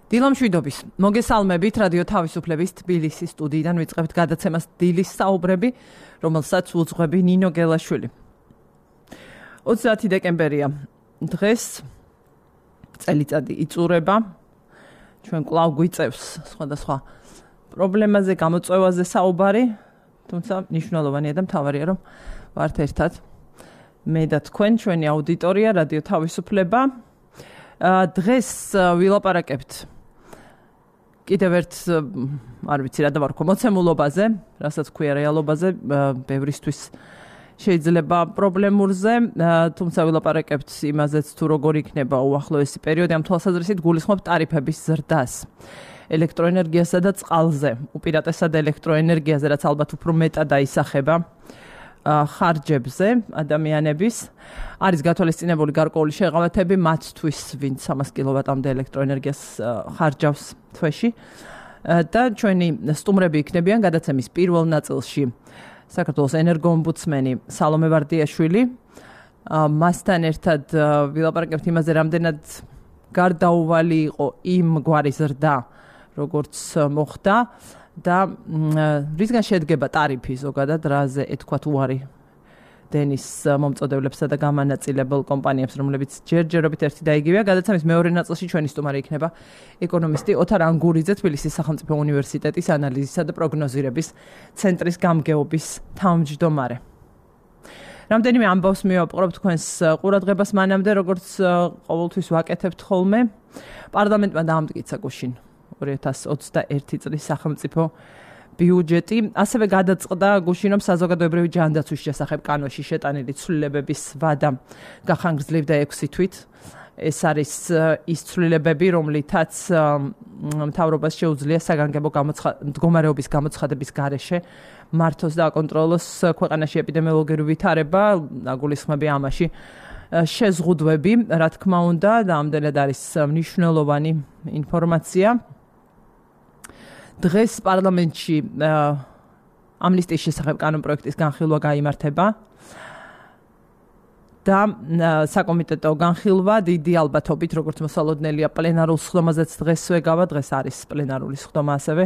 დილამშვიდობის. მოგესალმებით რადიო თავისუფლების თბილისის სტუდიიდან ვიწყებთ გადაცემას დილის საუბრები, რომელსაც უძღვები ნინო გელაშვილი. 30 დეკემბერია. დღეს წელიწადი იწურება. ჩვენ კვლავ გვიწევს სხვადასხვა პრობლემაზე, გამოწვევაზე საუბარი, თუმცა მნიშვნელოვანია და მთავარია, რომ ვართ ერთად მე და თქვენ, ჩვენი აუდიტორია, რადიო თავისუფლება. დღეს ვილაპარაკებთ კიდევ ერთ, არ ვიცი რა დავარქვა, მოცემულობაზე, რასაც ქვია რეალობაზე, ბევრისთვის შეიძლება პრობლემურზე, თუმცა ვილაპარაკებთ იმაზეც, თუ როგორ იქნება უახლოესი პერიოდი, ამ თვალსაზრისით გულისხმობ ტარიფების ზრდას ელექტროენერგიასა და წყალზე, უპირატესად ელექტროენერგიაზე, რაც ალბათ უფრო მეტად აისახება ხარჯებზე ადამიანების. არის გათვალისწინებული გარკვეული შეღავათები მათთვის, ვინც 300 კილოვატამდე ელექტროენერგიას ხარჯავს თვეში. და ჩვენი სტუმრები იქნებიან გადაცემის პირველ ნაწილში საქართველოს ენერგოომბუდსმენი სალომე ვარდიაშვილი. მასთან ერთად ვილაპარაკებთ იმაზე, რამდენად გარდაუვალი იყო იმ გვარი ზრდა, როგორც მოხდა და რისგან შედგება ტარიფი ზოგადად, რაზე ეთქვათ უარი დენის მომწოდებლებსა და გამანაწილებელ კომპანიებს, რომლებიც ჯერჯერობით ერთი და იგივეა. გადაცემის მეორე ნაწილში ჩვენი სტუმარი იქნება ეკონომისტი ოთარ ანგურიძე, თბილისის სახელმწიფო უნივერსიტეტის ანალიზისა და პროგნოზირების ცენტრის გამგეობის თავმჯდომარე. რამდენიმე ამბავს მივაპყრობ თქვენს ყურადღებას მანამდე, როგორც ყოველთვის ვაკეთებთ ხოლმე. პარლამენტმა დაამტკიცა გუშინ 2021 წლის სახელმწიფო ბიუჯეტი, ასევე გადაწყდა გუშინ, რომ საზოგადოებრივი ჯანდაცვის შესახებ კანონში შეტანილი ცვლილებების ვადა გახანგრძლივდა 6 თვით. ეს არის ის ცვლილებები, რომლითაც მთავრობას შეუძლია საგანგებო მდგომარეობის გამოცხადების გარეშე მართოს და აკონტროლოს ქვეყანაში ეპიდემიოლოგიური ვითარება, გულისხმები ამაში შეზღუდვები, რა თქმა უნდა, და ამდენად არის მნიშვნელოვანი ინფორმაცია. დღეს პარლამენტში ამნისტიის შესახებ კანონპროექტის განხილვა გაიმართება და საკომიტეტო განხილვა დიდი ალბათობით, როგორც მოსალოდნელია, პლენარულ სხდომაზეც დღესვე გავა, დღეს არის პლენარული სხდომა ასევე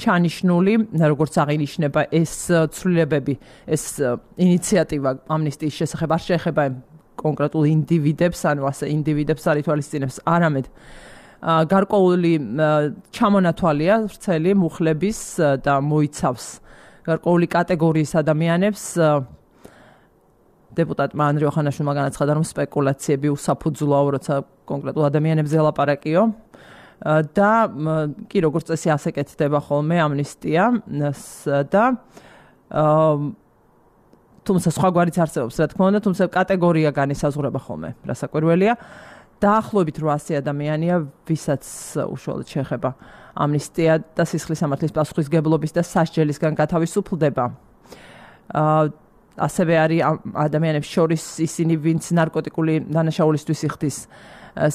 ჩანიშნული, როგორც აღინიშნება ეს ცვლილებები, ეს ინიციატივა ამნისტიის შესახებ არ შეეხება კონკრეტულ ინდივიდებს, ანუ ასე ინდივიდებს არ ითვალისწინებს, არამედ გარკვეული ჩამონათვალია ვრცელი მუხლების და მოიცავს გარკვეული კატეგორიის ადამიანებს. დეპუტატმა ანდრე ოხანაშვილმა განაცხადა, რომ სპეკულაციები უსაფუძვლოა, როცა კონკრეტულ ადამიანებზე ლაპარაკიო. და კი როგორც წესი ასე კეთდება ხოლმე ამნისტია და თუმცა სხვა გვარიც არსებობს, რა თქმა უნდა, თუმცა კატეგორია განისაზღვრება ხოლმე, რასაკვირველია. დაახლოებით 800 ადამიანია, ვისაც უშუალოდ შეეხება ამნისტია და სისხლის სამართლის პასუხისმგებლობის და სასჯელისგან გათავისუფლდება. ასევე არის ადამიანებს შორის ისინი, ვინც ნარკოტიკული დანაშაულისთვის იხდის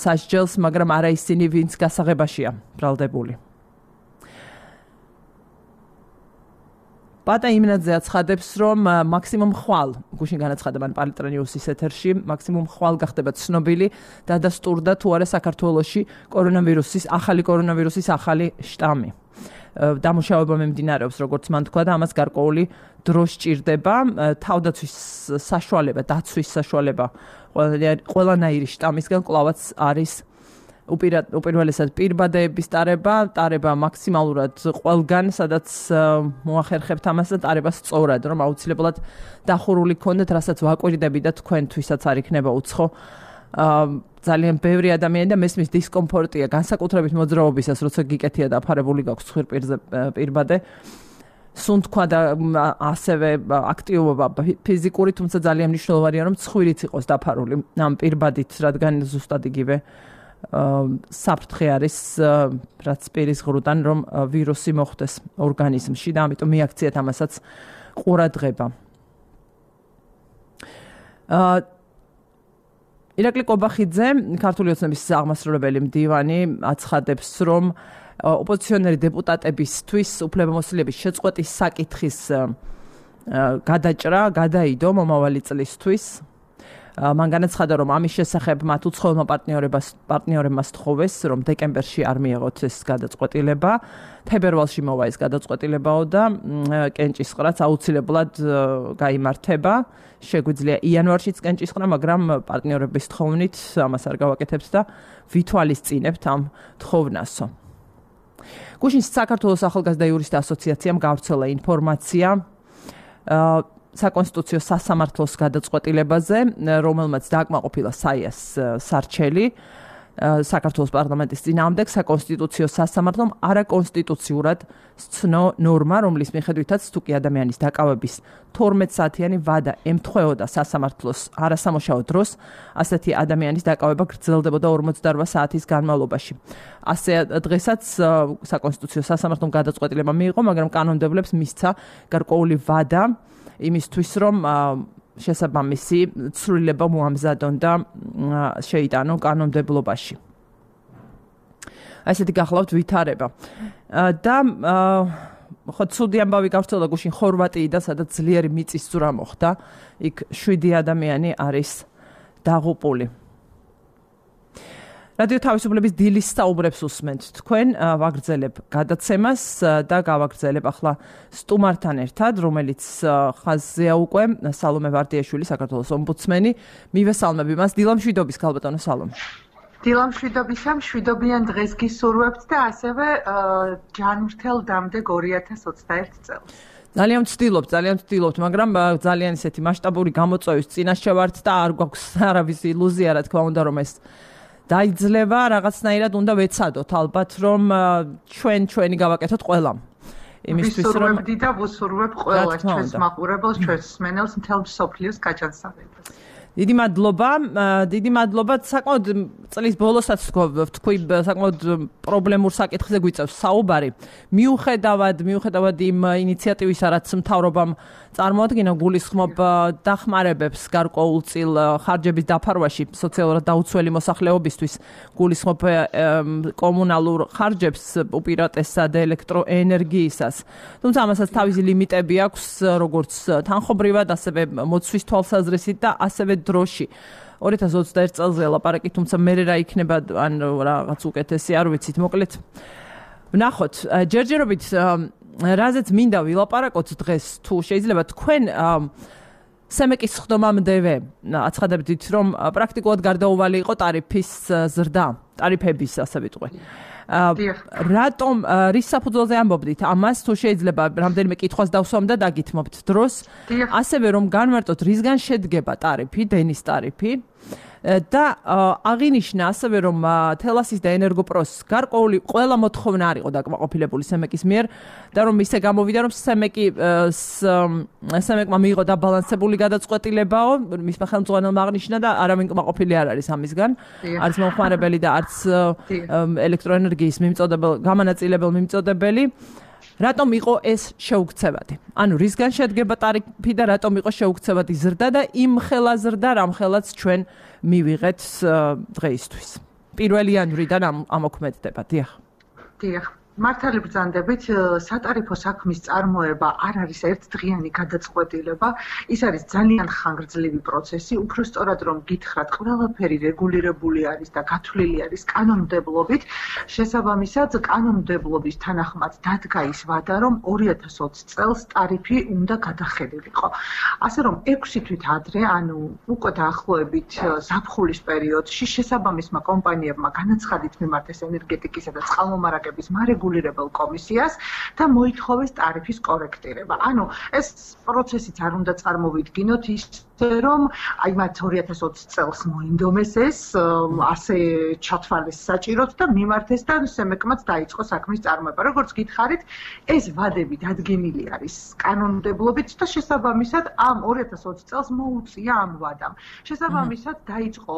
სასჯელს, მაგრამ არა ისინი, ვინც გასაღებაშია ბრალდებული. პატა იმნაძე აცხადებს, რომ მაქსიმუმ ხვალ, გუშინ განაცხადა მან პალეტრანიუსის ეთერში, მაქსიმუმ ხვალ გახდება ცნობილი დადასტურდა თუ არა საქართველოში ახალი კორონავირუსის ახალი შტამი. დამუშავება მიმდინარეობს, როგორც მან თქვა და ამას გარკვეული დრო სჭირდება, თავდაცვის საშუალება, დაცვის საშუალება ყველანაირი შტამისგან კვლავაც არის უპირველესად პირბადეების ტარება მაქსიმალურად ყველგან, სადაც მოახერხებთ ამას და ტარება სწორად, რომ აუცილებლად დახურული გქონდეთ, რასაც ვაკვირდები და თქვენთვისაც არ იქნება უცხო. ძალიან ბევრი ადამიანი და მესმის დისკომფორტია, განსაკუთრებით მოძრაობისას, როცა გიკეთია დაფარებული გაქვს ხვირპირზე პირბადე. სუნთქვა და ასევე აქტივობა ფიზიკური, თუმცა ძალიან მნიშვნელოვანია, რომ ცხვირიც იყოს დაფარული ამ პირბადით, რადგან ზუსტად იგივე საფრთხე არის, რაც პირის ღრუდან, რომ ვირუსი მოხვდეს ორგანიზმში და ამიტომ მიაქციათ ამასაც ყურადღება. ირაკლი კობახიძე, ქართული ოცნების აღმასრულებელი მდივანი, აცხადებს, რომ ოპოზიციონერი დეპუტატებისთვის უფლებამოსილების შეწყვეტის საკითხის გადაჭრა გადაიდო მომავალი წლისთვის. მან განაცხადა, რომ ამის შესახებ მათ უცხოელმა პარტნიორებმა სთხოვეს, რომ დეკემბერში არ მიეღოთ ეს გადაწყვეტილება. თებერვალში მოვა ეს გადაწყვეტილებაო და კენჭისყრაც აუცილებლად გაიმართება. შეგვიძლია იანვარშიც კენჭისყრა, მაგრამ პარტნიორების თხოვნით ამას არ გავაკეთებთ და ვითვალისწინებთ ამ თხოვნასო. გუშინ საქართველოს ახალგაზრდა იურისტთა ასოციაციამ გავრცელა ინფორმაცია საკონსტიტუციო სასამართლოს გადაწყვეტილებაზე, რომელმაც დააკმაყოფილა საიას სარჩელი საქართველოს პარლამენტის წინააღმდეგ საკონსტიტუციო სასამართლომ არაკონსტიტუციურად სცნო ნორმა, რომლის მიხედვითაც თუკი ადამიანის დაკავების 12 საათიანი ვადა ემთხვეოდა სასამართლოს არასამუშაო დროს, ასეთი ადამიანის დაკავება გრძელდებოდა 48 საათის განმავლობაში. ასე დღესაც საკონსტიტუციო სასამართლომ გადაწყვეტილება მიიღო, მაგრამ კანონმდებლებს მისცა გარკვეული ვადა იმისთვის, რომ შესაბამისი ცვლილება მოამზადონ და შეიტანონ კანონმდებლობაში. ასეთი გახლავთ ვითარება. და ხო ცუდი ამბავი გავრცელდა გუშინ ხორვატიიდან, სადაც ძლიერი მიწისძვრა მოხდა. იქ 7 ადამიანი არის დაღუპული. რადიო თავისუფლების დილის საუბრებს უსმენთ თქვენ, ვაგრძელებ გადაცემას და გავაგრძელებ ახლა სტუმართან ერთად, რომელიც ხაზზეა უკვე სალომე ვარდიაშვილი, საქართველოს ომბუდსმენი. მივესალმები მას. დილამშვიდობის ქალბატონო სალომე. დილამშვიდობისა, მშვიდობიან დღეს გისურვებთ და ასევე ჯანმრთელ დამდეგ 2021 წელს. ძალიან ვცდილობთ, მაგრამ ძალიან ისეთი მასშტაბური გამოწვევის წინაშე ვართ და არ გვაქვს არავის ილუზია, რა თქმა უნდა, რომ ეს დაიძლება, რაღაცნაირად უნდა ვეცადოთ ალბათ, რომ ჩვენი გავაკეთოთ ყველამ. იმისთვის რომ ვისურვებდი და ვუსურვებ ყველას ჩვენს მაყურებელს, ჩვენს მსმენელს, მთელ მსოფლიოს გაჯანსაღებას. დიდი მადლობა. საკმაოდ წლის ბოლოსაც თქვი, საკმაოდ პრობლემურ საკითხზე გვიწევს საუბარი. მიუხედავად იმ ინიციატივისა, რაც მთავრობამ წარმოადგინა, გულისხმობ დახმარებებს გარკვეულწილ ხარჯების დაფარვაში სოციალურად დაუცველი მოსახლეობისთვის, გულისხმობ კომუნალურ ხარჯებს უპირატესად ელექტროენერგიისას. თუმცა ამასაც თავისი ლიმიტები აქვს, როგორც თანხობრივად, ასევე მოცვის თვალსაზრისით და ასევე დროში. 2021 წელზე ლაპარაკი, თუმცა მე რა იქნება, ან რაღაც უკეთესი, არ ვიცით, მოკლედ. ვნახოთ, ჯერჯერობით რაზეც მინდა ვილაპარაკოთ დღეს, თუ შეიძლება თქვენ სემეკის ხდომამდევე აცხადებდით, რომ პრაქტიკულად გარდაუვალი იყო ტარიფების, ასე ვიტყვი. რატომ რის საფუძველზე ამბობდით ამას, თუ შეიძლება რამდენიმე კითხვას დავსვამ და დაგითმობთ დროს, ასევე რომ განმარტოთ რისგან შედგება ტარიფი, დენის ტარიფი და აღინიშნა ასევე რომ თელასის და ენერგოპროს გარკვეული ყველა მოთხოვნა არ იყო დაკმაყოფილებული სემეკის მიერ და რომ ისე გამოვიდა რომ სემეკმა მიიღო დაბალანსებული გადაწყვეტილებაო, მისმა ხელმძღვანელმა აღნიშნა და არავინ კმაყოფილი არ არის ამისგან, არც მომხმარებელი და არც ელექტროენერგიის გამანაწილებელ მიმწოდებელი. რატომ იყო ეს შეუქცევადი? ანუ რისგან შედგება ტარიფი და რატომ იყო შეუქცევადი ზრდა და იმ ხელა ზრდა, რამ ხელაც ჩვენ მივიღეთ დღეისთვის. 1 იანვრიდან ამოქმედდება. დიახ. მართალი ბრძანდებით, სატარიფო საქმის წარმოება არ არის ერთდღიანი გადაწყვეტილება, ის არის ძალიან ხანგრძლივი პროცესი, უფრო სწორად რომ გითხრათ, ყველაფერი რეგულირებული არის და გათვლილი არის კანონმდებლობით, შესაბამისად კანონმდებლობის თანახმად დადგა ის ვადა, რომ 2020 წელს ტარიფი უნდა გადახედილიყო. ასე რომ 6 თვით ადრე, ანუ უკვე დაახლოებით ზაფხულის პერიოდში შესაბამისმა კომპანიებმა განაცხადით მიმართეს ენერგეტიკისა და წყალმომარაგების რეგულირებელ კომისიას და მოითხოვეს ტარიფის კორექტირება. ანუ ეს პროცესიც არ უნდა წარმოვიდგინოთ ისე რომ აი მათ 2020 წელს მოინდომეს ეს ასე ჩათვალეს საჭიროდ და მიმართეს და სემეკმაც დაიწყო საქმის წარმოება. როგორც გითხარით, ეს ვადები დადგენილი არის კანონმდებლობით და შესაბამისად ამ 2020 წელს მოუწია ამ ვადამ. შესაბამისად დაიწყო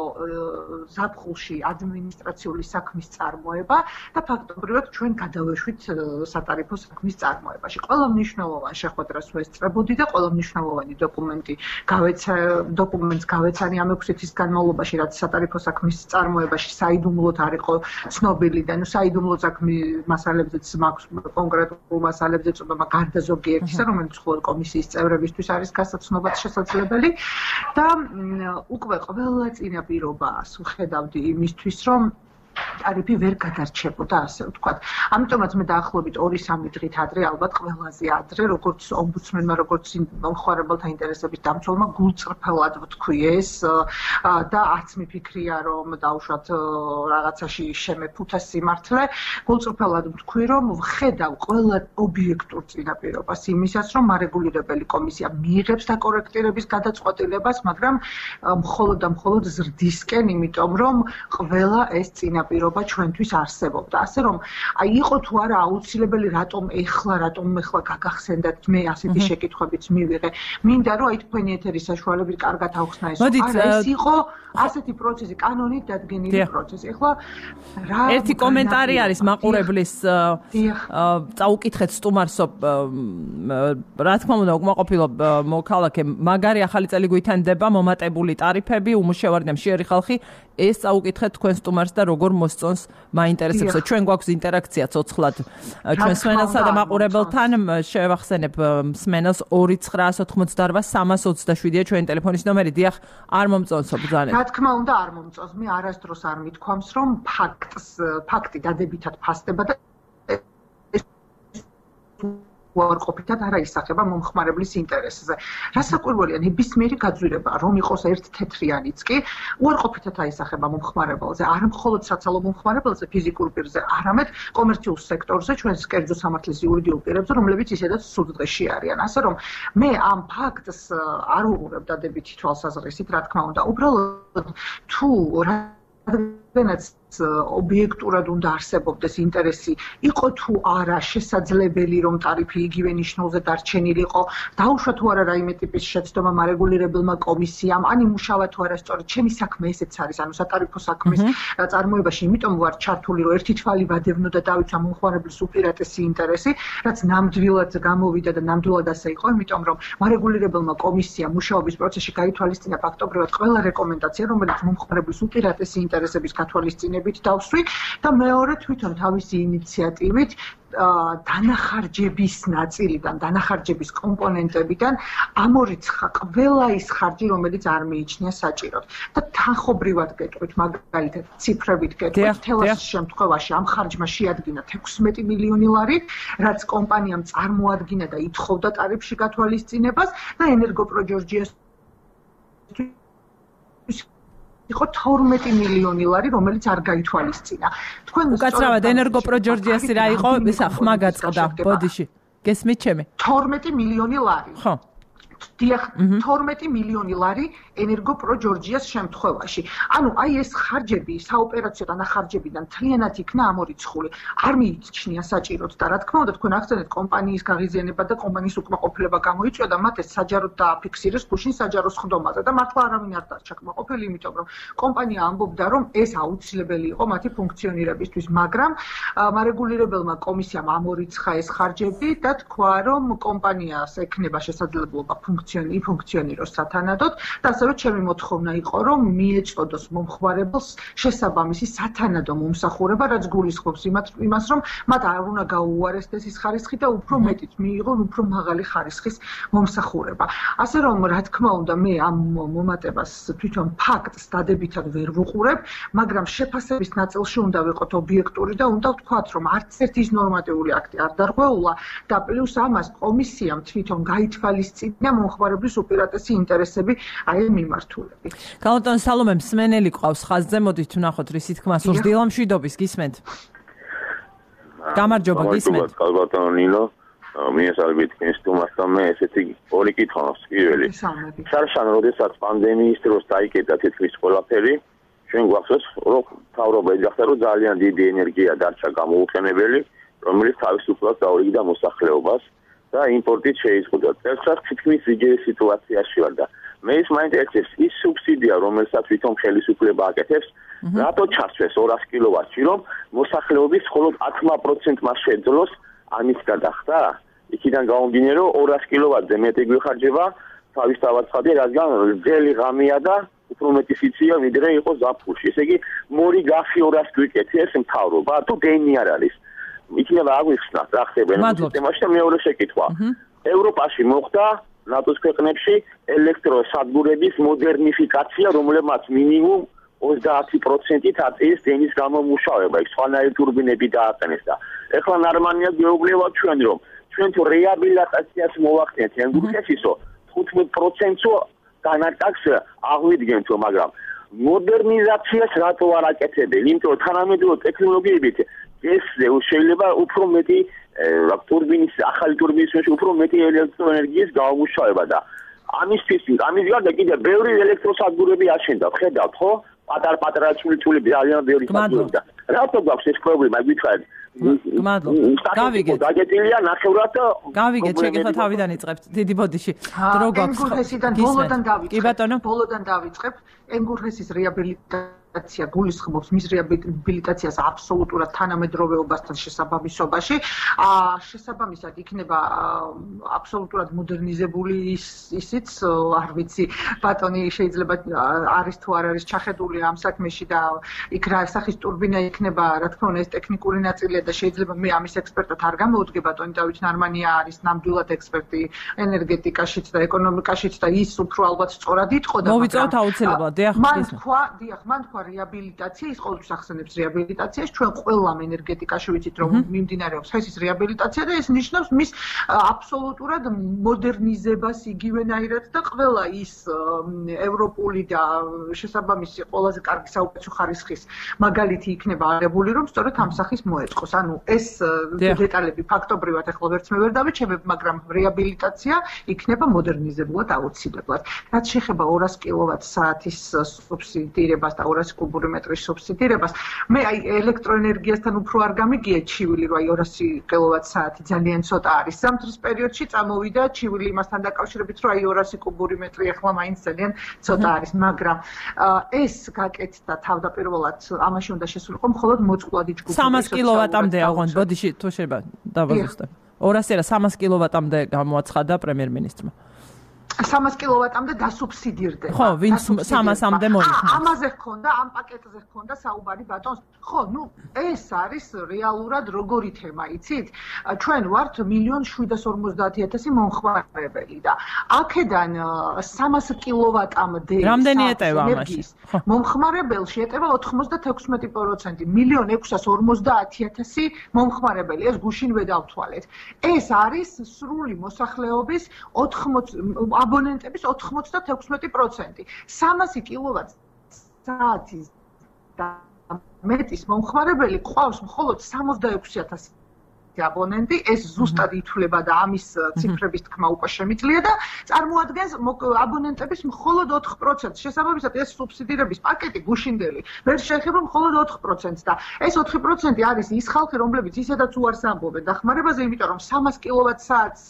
ზაფხულში ადმინისტრაციული საქმის წარმოება და ფაქტობრივად ჩვენ გადავეშვით სატარიფო საქმის წარმოებაში. ყველა მნიშვნელოვანი შეხვედრას ვესწრებოდი და ყველა მნიშვნელოვანი დოკუმენტს გავეცანი ამ 6 თვის განმავლობაში, რაც სატარიფო საქმის წარმოებაში საიდუმლოდ არ იყო ცნობილი და საიდუმლო საქმის მასალებზეც მაქვს კონკრეტულ მასალებზეც უბება გარდა ზოგიერთისა, რომელიც მხოლოდ კომისიის წევრებისთვის არის გასაცნობად შესაძლებელი და უკვე ყველა წინაპირობას ვხედავდი იმისთვის, რომ ტარიფი ვერ გადარჩებოდა, ასე ვთქვათ. ამიტომაც მე დაახლოებით 2-3 დღით ადრე, ალბათ ყველაზე ადრე, როგორც ომბუდსმენმა, როგორც მომხმარებელთა ინტერესების დამცველმა გულწრფელად ვთქვი ეს და არც მიფიქრია, რომ დავუშვათ რაღაცაში შემეფუთა სიმართლე, გულწრფელად ვთქვი, რომ ვხედავ ყველა ობიექტურ წინაპირობას იმისას, რომ მარეგულირებელი კომისია მიიღებს დაკორექტირების გადაწყვეტილებას, მაგრამ მხოლოდ და მხოლოდ ზრდისკენ, იმიტომ რომ ყველა ეს პირობა ჩვენთვის არსებობდა. ასე რომ აი იყო თუ არა აუცილებელი რატომ ეხლა გაგახსენდათ მე ასეთი შეკითხვებიც მივიღე. მინდა რომ აი თქვენი ეთერის საშუალებით კარგად ავხსნა ეს. ეს იყო ასეთი პროცესი, კანონით დადგენილი პროცესი. ეხლა ერთი კომენტარი არის მაყურებლის წაუკითხეთ სტუმარსო, რა თქმა უნდა, უკმაყოფილო მოქალაქე, მაგარი ახალი წელი გვითანდება, მომატებული ტარიფები, უმუშევარი და მშიერი ხალხი, ეს წაუკითხეთ თქვენ სტუმარს და როგორ მოსწონს მაინტერესებს. ჩვენ გვაქვს ინტერაქცია ცოცხლად ჩვენ სმენელსა და მაყურებელთან. შევახსენებ სმენელს 2988327-ია ჩვენი ტელეფონის ნომერი. დიახ, არ მომწონსო ბრძანეთ. რა თქმა უნდა არ მომწონს. მე არასდროს არ მithქვამს, რომ ფაქტი დადებითად ფასდება და უარყოფითად არ აისახება მომხმარებლის ინტერესზე. რასაკვირველია, ნებისმიერი გაძვირება, რომ იყოს ერთ თეთრიანიც კი, უარყოფითად აისახება მომხმარებელზე, არ მხოლოდ საცალო მომხმარებელზე, ფიზიკურ პირზე, არამედ კომერციულ სექტორზე, ჩვენს კერძო სამართლის იურიდიულ პირებზე, რომლებიც ისედაც სულდღეში არიან. ასე რომ მე ამ ფაქტს არ უყურებ დადებითი თვალსაზრისით, რა თქმა უნდა, უბრალოდ თუ რადგანაც ობიექტურად უნდა არსებობდეს ინტერესი, იყო თუ არა შესაძლებელი, რომ ტარიფი იგივე ნიშნულზე დარჩენილიყო, დაუშვა თუ არა რაიმე ტიპის შეცდომა მარეგულირებელმა კომისიამ, ან იმუშავა თუ არა სწორედ ჩემი საქმე ესეც არის, ანუ სატარიფო საქმის წარმოებაში, იმიტომ ვარ ჩართული, რომ ერთი თვალი ვადევნო და დავიცვა მომხმარებლის უპირატესი ინტერესი, რაც ნამდვილად გამოვიდა და ნამდვილად ასე იყო, იმიტომ რომ მარეგულირებელმა კომისიამ მუშაობის პროცესში გაითვალისწინა ფაქტობრივად ყველა რეკომენდაცია, რომელიც მომხმარებლის უპირატესი ინტერესების გათვალისწინებით დავსვი და მეორე თვითონ თავისი ინიციატივით დანახარჯების ნაწილიდან, დანახარჯების კომპონენტებიდან ამორიცხა ყველა ის ხარჯი, რომელიც არ მიიჩნია საჭიროდ. და თანხობრივად გეტყვით, მაგალითად, ციფრებით გეტყვით, თელას შემთხვევაში ამ ხარჯმა შეადგინა 16 მილიონი ლარი, რაც კომპანიამ წარმოადგინა და ითხოვდა ტარიფში გათვალისწინებას და ენერგოპროჯორჯიას იყო 12 მილიონი ლარი, რომელიც არ გაითვალისწინა. თქვენ უკაცრავად ენერგოპროჯორჯიასი რა იყო, ისა ხმა გაწყდა ბოდიში. გესმით ჩემი? 12 მილიონი ლარი. ხო. დიახ, 12 მილიონი ლარი ენერგოპროჯორჯიას შემთხვევაში. ანუ აი ეს ხარჯები, საოპერაციო დანახარჯებიდან მთლიანად იქნა ამორიცხული. არ მიიჩნია საჭიროდ და რა თქმა უნდა, თქვენ ახსენეთ კომპანიის გაღიზიანება და კომპანიის უკმაყოფილება გამოიწვია და მათ ეს საჯაროდ დააფიქსირეს გუშინ საჯარო სხდომაზე და მართლა არავინ არ დარჩა კმაყოფილი, იმიტომ რომ კომპანია ამბობდა, რომ ეს აუცილებელი იყო მათი ფუნქციონირებისთვის, მაგრამ მარეგულირებელმა კომისიამ ამორიცხა ეს ხარჯები და თქვა, რომ კომპანიას ექნება შესაძლებლობა ფუნქციონიროს სათანადოდ და ასევე ჩემი მოთხოვნა იყო, რომ მიეწოდოს მომხმარებელს შესაბამისი სათანადო მომსახურება, რაც გულისხმობს იმას, რომ მათ არ უნდა გაუუარესდეს ის ხარისხი და უფრო მეტიც მიიღონ უფრო მაღალი ხარისხის მომსახურება. ასე რომ, რა თქმა უნდა, მე ამ მომატებას თვითონ ფაქტს დადებითად ვერ ვუყურებ, მაგრამ შეფასების ნაწილში უნდა ვიყოთ ობიექტური და უნდა ვთქვათ, რომ არც ერთი ის ნორმატიული აქტი არ დარღვეულა და პლუს ამას კომისიამ თვითონ გაითვალისწინა მომხმარებლის უპირატესი ინტერესები აი მიმართულები. კალბატონ სალომე მსმენელი ყავს ხაზზე, მოდით ვნახოთ რის თქმა სურს. დილამშვიდობის, გისმენთ? გამარჯობა, გისმენთ? კალბატონ ნინო, მიესალმებით სტუმარს და მე ესეთი ორი კითხვა მაქვს. პირველი, შარშან როდესაც პანდემიის დროს დაიკეტა თითქმის ყველაფერი, ჩვენ გვახსოვს, რომ მთავრობა ეძახდა, რომ ძალიან დიდი ენერგია დარჩა გამოუყენებელი, რომელიც თავისუფლად დაურიგდა მოსახლეობას და იმპორტით შეიზღუდა. წელსაც თითქმის იგივე სიტუაციაში ვარ და მე ის მაინტერესებს ის სუბსიდია, რომელსაც თვითონ ხელისუფლება აკეთებს, რატო ჩასვეს 200 კილოვატში, რომ მოსახლეობის მხოლოდ 10%-მა შეძლოს ამის გადახდა? იქიდან გამომდინარე, რომ 200 კილოვატზე მეტი გვიხარჯება თავისთავად ცხადია, რადგან ძელი ღამეა და უფრო მეტი სიცია ვიდრე იყო ზაფხულში. ესე იგი, მორი გახი 200 გვიკეთეს მთავრობა, თუ გენი არ არის. იქნება აგვიხსნათ რა ხდება სისტემაში და მეორე შეკითხვა. ევროპაში მოხდა ნატოს ქვეყნებში ელექტროსადგურების მოდერნიფიკაცია, რომლებმაც მინიმუმ 30%-ით აწევის დენის გამომუშავება, იქ სხვანაირი ტურბინები დააყენეს და ეხლა ნორმალია გეუბნებათ ჩვენ, რომ ჩვენ თუ რეაბილიტაციას მოვახდენთ ენგურხესისო 15%-ო განაკაკს აღვიდგენთო, მაგრამ მოდერნიზაციას რატო არ აკეთებენ? იმიტომ რომ თანამედროვე ტექნოლოგიებით ეს შეიძლება უფრო მეტი ტურბინის, ახალი ტურბინის მეშვეობით უფრო მეტი ელექტროენერგიის გამომუშავება და ამისთვის გარდა კიდე ბევრი ელექტროსადგურები აშენდა, ხედავთ ხო? პატარ-პატარა წვლილები ძალიან ბევრი სადგურები და რატო გვაქვს ეს პრობლემა, გითხარით? გავიგეთ. დაგეტილია ნახევრად და გავიგეთ, შეგეხა თავიდან იწყებთ. დიდი ბოდიში. დრო გვაქვს. ენგურხესიდან ბოლოდან დავიწყებ. კი ბატონო. ბოლოდან დავიწყებ. ენგურხესის რეაბილიტაცია გულისხმობს მის რეაბილიტაციას აბსოლუტურად თანამედროვეობასთან შესაბამისობაში. შესაბამისად იქნება აბსოლუტურად მოდერნიზებული ისიც, არ ვიცი, ბატონი შეიძლება არის თუ არ არის ჩახედული ამ საქმეში და იქ რა სახის ტურბინა იქნება, რა თქმა უნდა, ეს ტექნიკური ნაწილია და შეიძლება მე ამის ექსპერტად არ გამოვდგე, ბატონი დავით ნარმანია არის ნამდვილად ექსპერტი ენერგეტიკაშიც და ეკონომიკაშიც და ის უფრო ალბათ სწორად იტყო და მოვიწევთ აუცილებლად. მან თქვა რეაბილიტაცია, ის ყოველთვის ახსენებს რეაბილიტაციას, ჩვენ ყველამ ენერგეტიკაში ვიცით, რომ მიმდინარეობს ხესის რეაბილიტაცია და ეს ნიშნავს მის აბსოლუტურად მოდერნიზებას იგივენაირად და ყველა ის ევროპული და შესაბამისი ყველაზე კარგი საუკეთესო ხარისხის მაგალითი იქნება აღებული, რომ სწორედ ამ სახის მოეწყოს. ანუ ეს დეტალები ფაქტობრივად ახლა ვერც მე ვერ დავიჩემებ, მაგრამ რეაბილიტაცია იქნება მოდერნიზებულად აუცილებლად. რაც შეეხება 200 კილოვატ-საათის სუბსიდირებას და 200 კუბური მეტრის სუბსიდირებას, მე აი ელექტროენერგიასთან უფრო არ გამიგია ჩივილი, რომ აი 200 კილოვატ-საათი ძალიან ცოტა არის. ზამთრის პერიოდში წამოვიდა ჩივილი იმასთან დაკავშირებით, რომ აი 200 კუბური მეტრი ახლა მაინც ძალიან ცოტა არის, მაგრამ ეს გაკეთდა თავდაპირველად ამაში უნდა შესულიყო მხოლოდ მოწყვლადი ჯგუფი 300 კილოვატამდე აღონ, ბოდიში თუ შეიძლება დავაზუსტებ. 200 არა 300 კილოვატამდე გამოაცხადა პრემიერ-მინისტრმა. 300 კილოვატამდე დასუბსიდირდება. ხო, ვინც 300-მდე მოიხსნა. ამაზე ჰქონდა, ამ პაკეტზე ჰქონდა საუბარი ბატონს. ხო, ნუ ეს არის რეალურად როგორი თემა, იცით? ჩვენ ვართ 1,750,000 მომხმარებელი და აქედან 300 კილოვატამდე რამდენი ეტევა ამაში? მომხმარებელში ეტევა 96%. 1,650,000 მომხმარებელი, ეს გუშინვე დავთვალეთ. ეს არის სრული მოსახლეობის 80 აბონენტების 96%. 300 კილოვატ-საათის და მეტის მომხმარებელი ყავს მხოლოდ 66,000 აბონენტი, ეს ზუსტად ითვლება და ამის ციფრების თქმა უკვე შემიძლია და წარმოადგენს აბონენტების მხოლოდ 4%. შესაბამისად, ეს სუბსიდირების პაკეტი გუშინდელი ვერ შეეხება მხოლოდ 4%-ს და ეს 4% არის ის ხალხი, რომლებიც ისედაც უარს ამბობენ დახმარებაზე, იმიტომ რომ 300 კილოვატ-საათს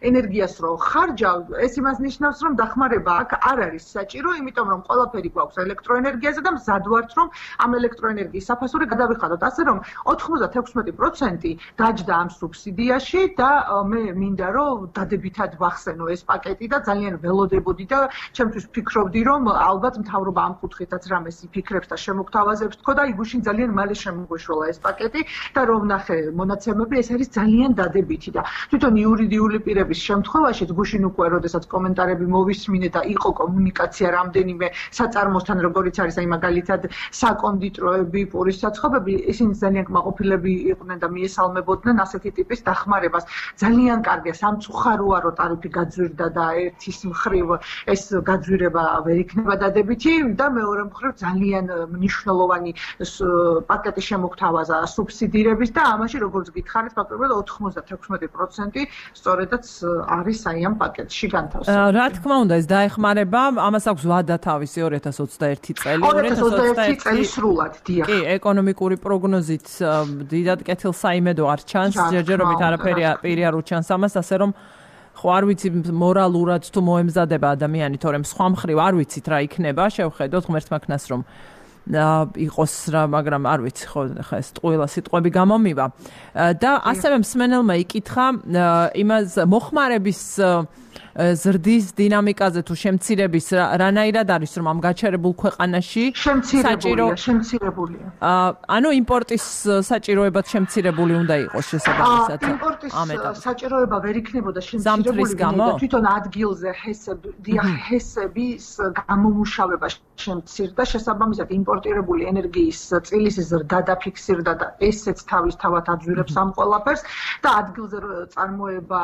ენერგიას რო ხარჯავ, ეს იმას ნიშნავს, რომ დახმარება აქ არ არის საჭირო, იმიტომ რომ ყველაფერი გვაქვს ელექტროენერგიაზე და მზად ვართ, რომ ამ ელექტროენერგიის საფასური გადავიხადოთ. ასე რომ 96% გაჯდა ამ სუბსიდიაში და მე მინდა რომ დადებითად ვახსენო ეს პაკეტი და ძალიან ველოდებოდი და ჩემთვის ფიქრობდი რომ ალბათ მთავრობა ამ კუთხითაც რამეს იფიქრებს და შემოგთავაზებს თქო და იგუშინ ძალიან მალე შემოგვეშველა ეს პაკეტი და რომ ნახე მონაცემები ეს არის ძალიან დადებითი და თვითონ იურიდიული პირების შემთხვევაში გუშინ უკვე როდესაც კომენტარები მოვისმინე და იყო კომუნიკაცია რამდენიმე საწარმოსთან როგორიც არის აი მაგალითად საკონდიტროები, პურის საცხობები ისინი ძალიან კმაყოფილები იყვნენ და მიესალმებოდნენ ასეთი ტიპის დახმარებას. ძალიან კარგია, სამწუხაროა რომ ტარიფი გაძვირდა და ერთის მხრივ ეს გაძვირება ვერ იქნება დადებითი და მეორე მხრივ ძალიან მნიშვნელოვანი პაკეტი შემოგთავაზა სუბსიდირების და ამაში როგორც გითხარით, ფაქტობრივად 96% სწორედაც არის აი ამ პაკეტში განთავსებული. რა თქმა უნდა, ეს დაეხმარება, ამას აქვს ვადა თავისი 2021 წელი, 2021 წელი სრულად, დიახ. კი, ეკონომიკური პროგნოზით დიდად კეთილსაიმედო არ ჩანს. ჯერჯერობით არაფერი პირი არ უჩანს ამას, ასე რომ ხო არ ვიცი მორალურად თუ მოემზადება ადამიანი, თორემ სხვა მხრივ არ ვიცით რა იქნება, შევხედოთ ღმერთმა ქნას რომ იყოს რა, მაგრამ არ ვიცი ხო ხა ეს ტყუილა სიტყვები გამომივა. და ასევე მსმენელმა იკითხა იმას მოხმარების ზრდის დინამიკაზე თუ შემცირების რანაირად არის რომ ამ გაჩერებულ ქვეყანაში შემცირებულია. ანუ იმპორტის საჭიროებაც შემცირებული უნდა იყოს შესაბამისად. იმპორტის საჭიროება ვერ იქნებოდა შემცირებული და თვითონ ადგილზე ჰესების გამომუშავება შემცირდა შესაბამისად იმპორტირებული ენერგიის წილის ზრდა დაფიქსირდა და ესეც თავისთავად აძვირებს ამ ყველაფერს და ადგილზე წარმოება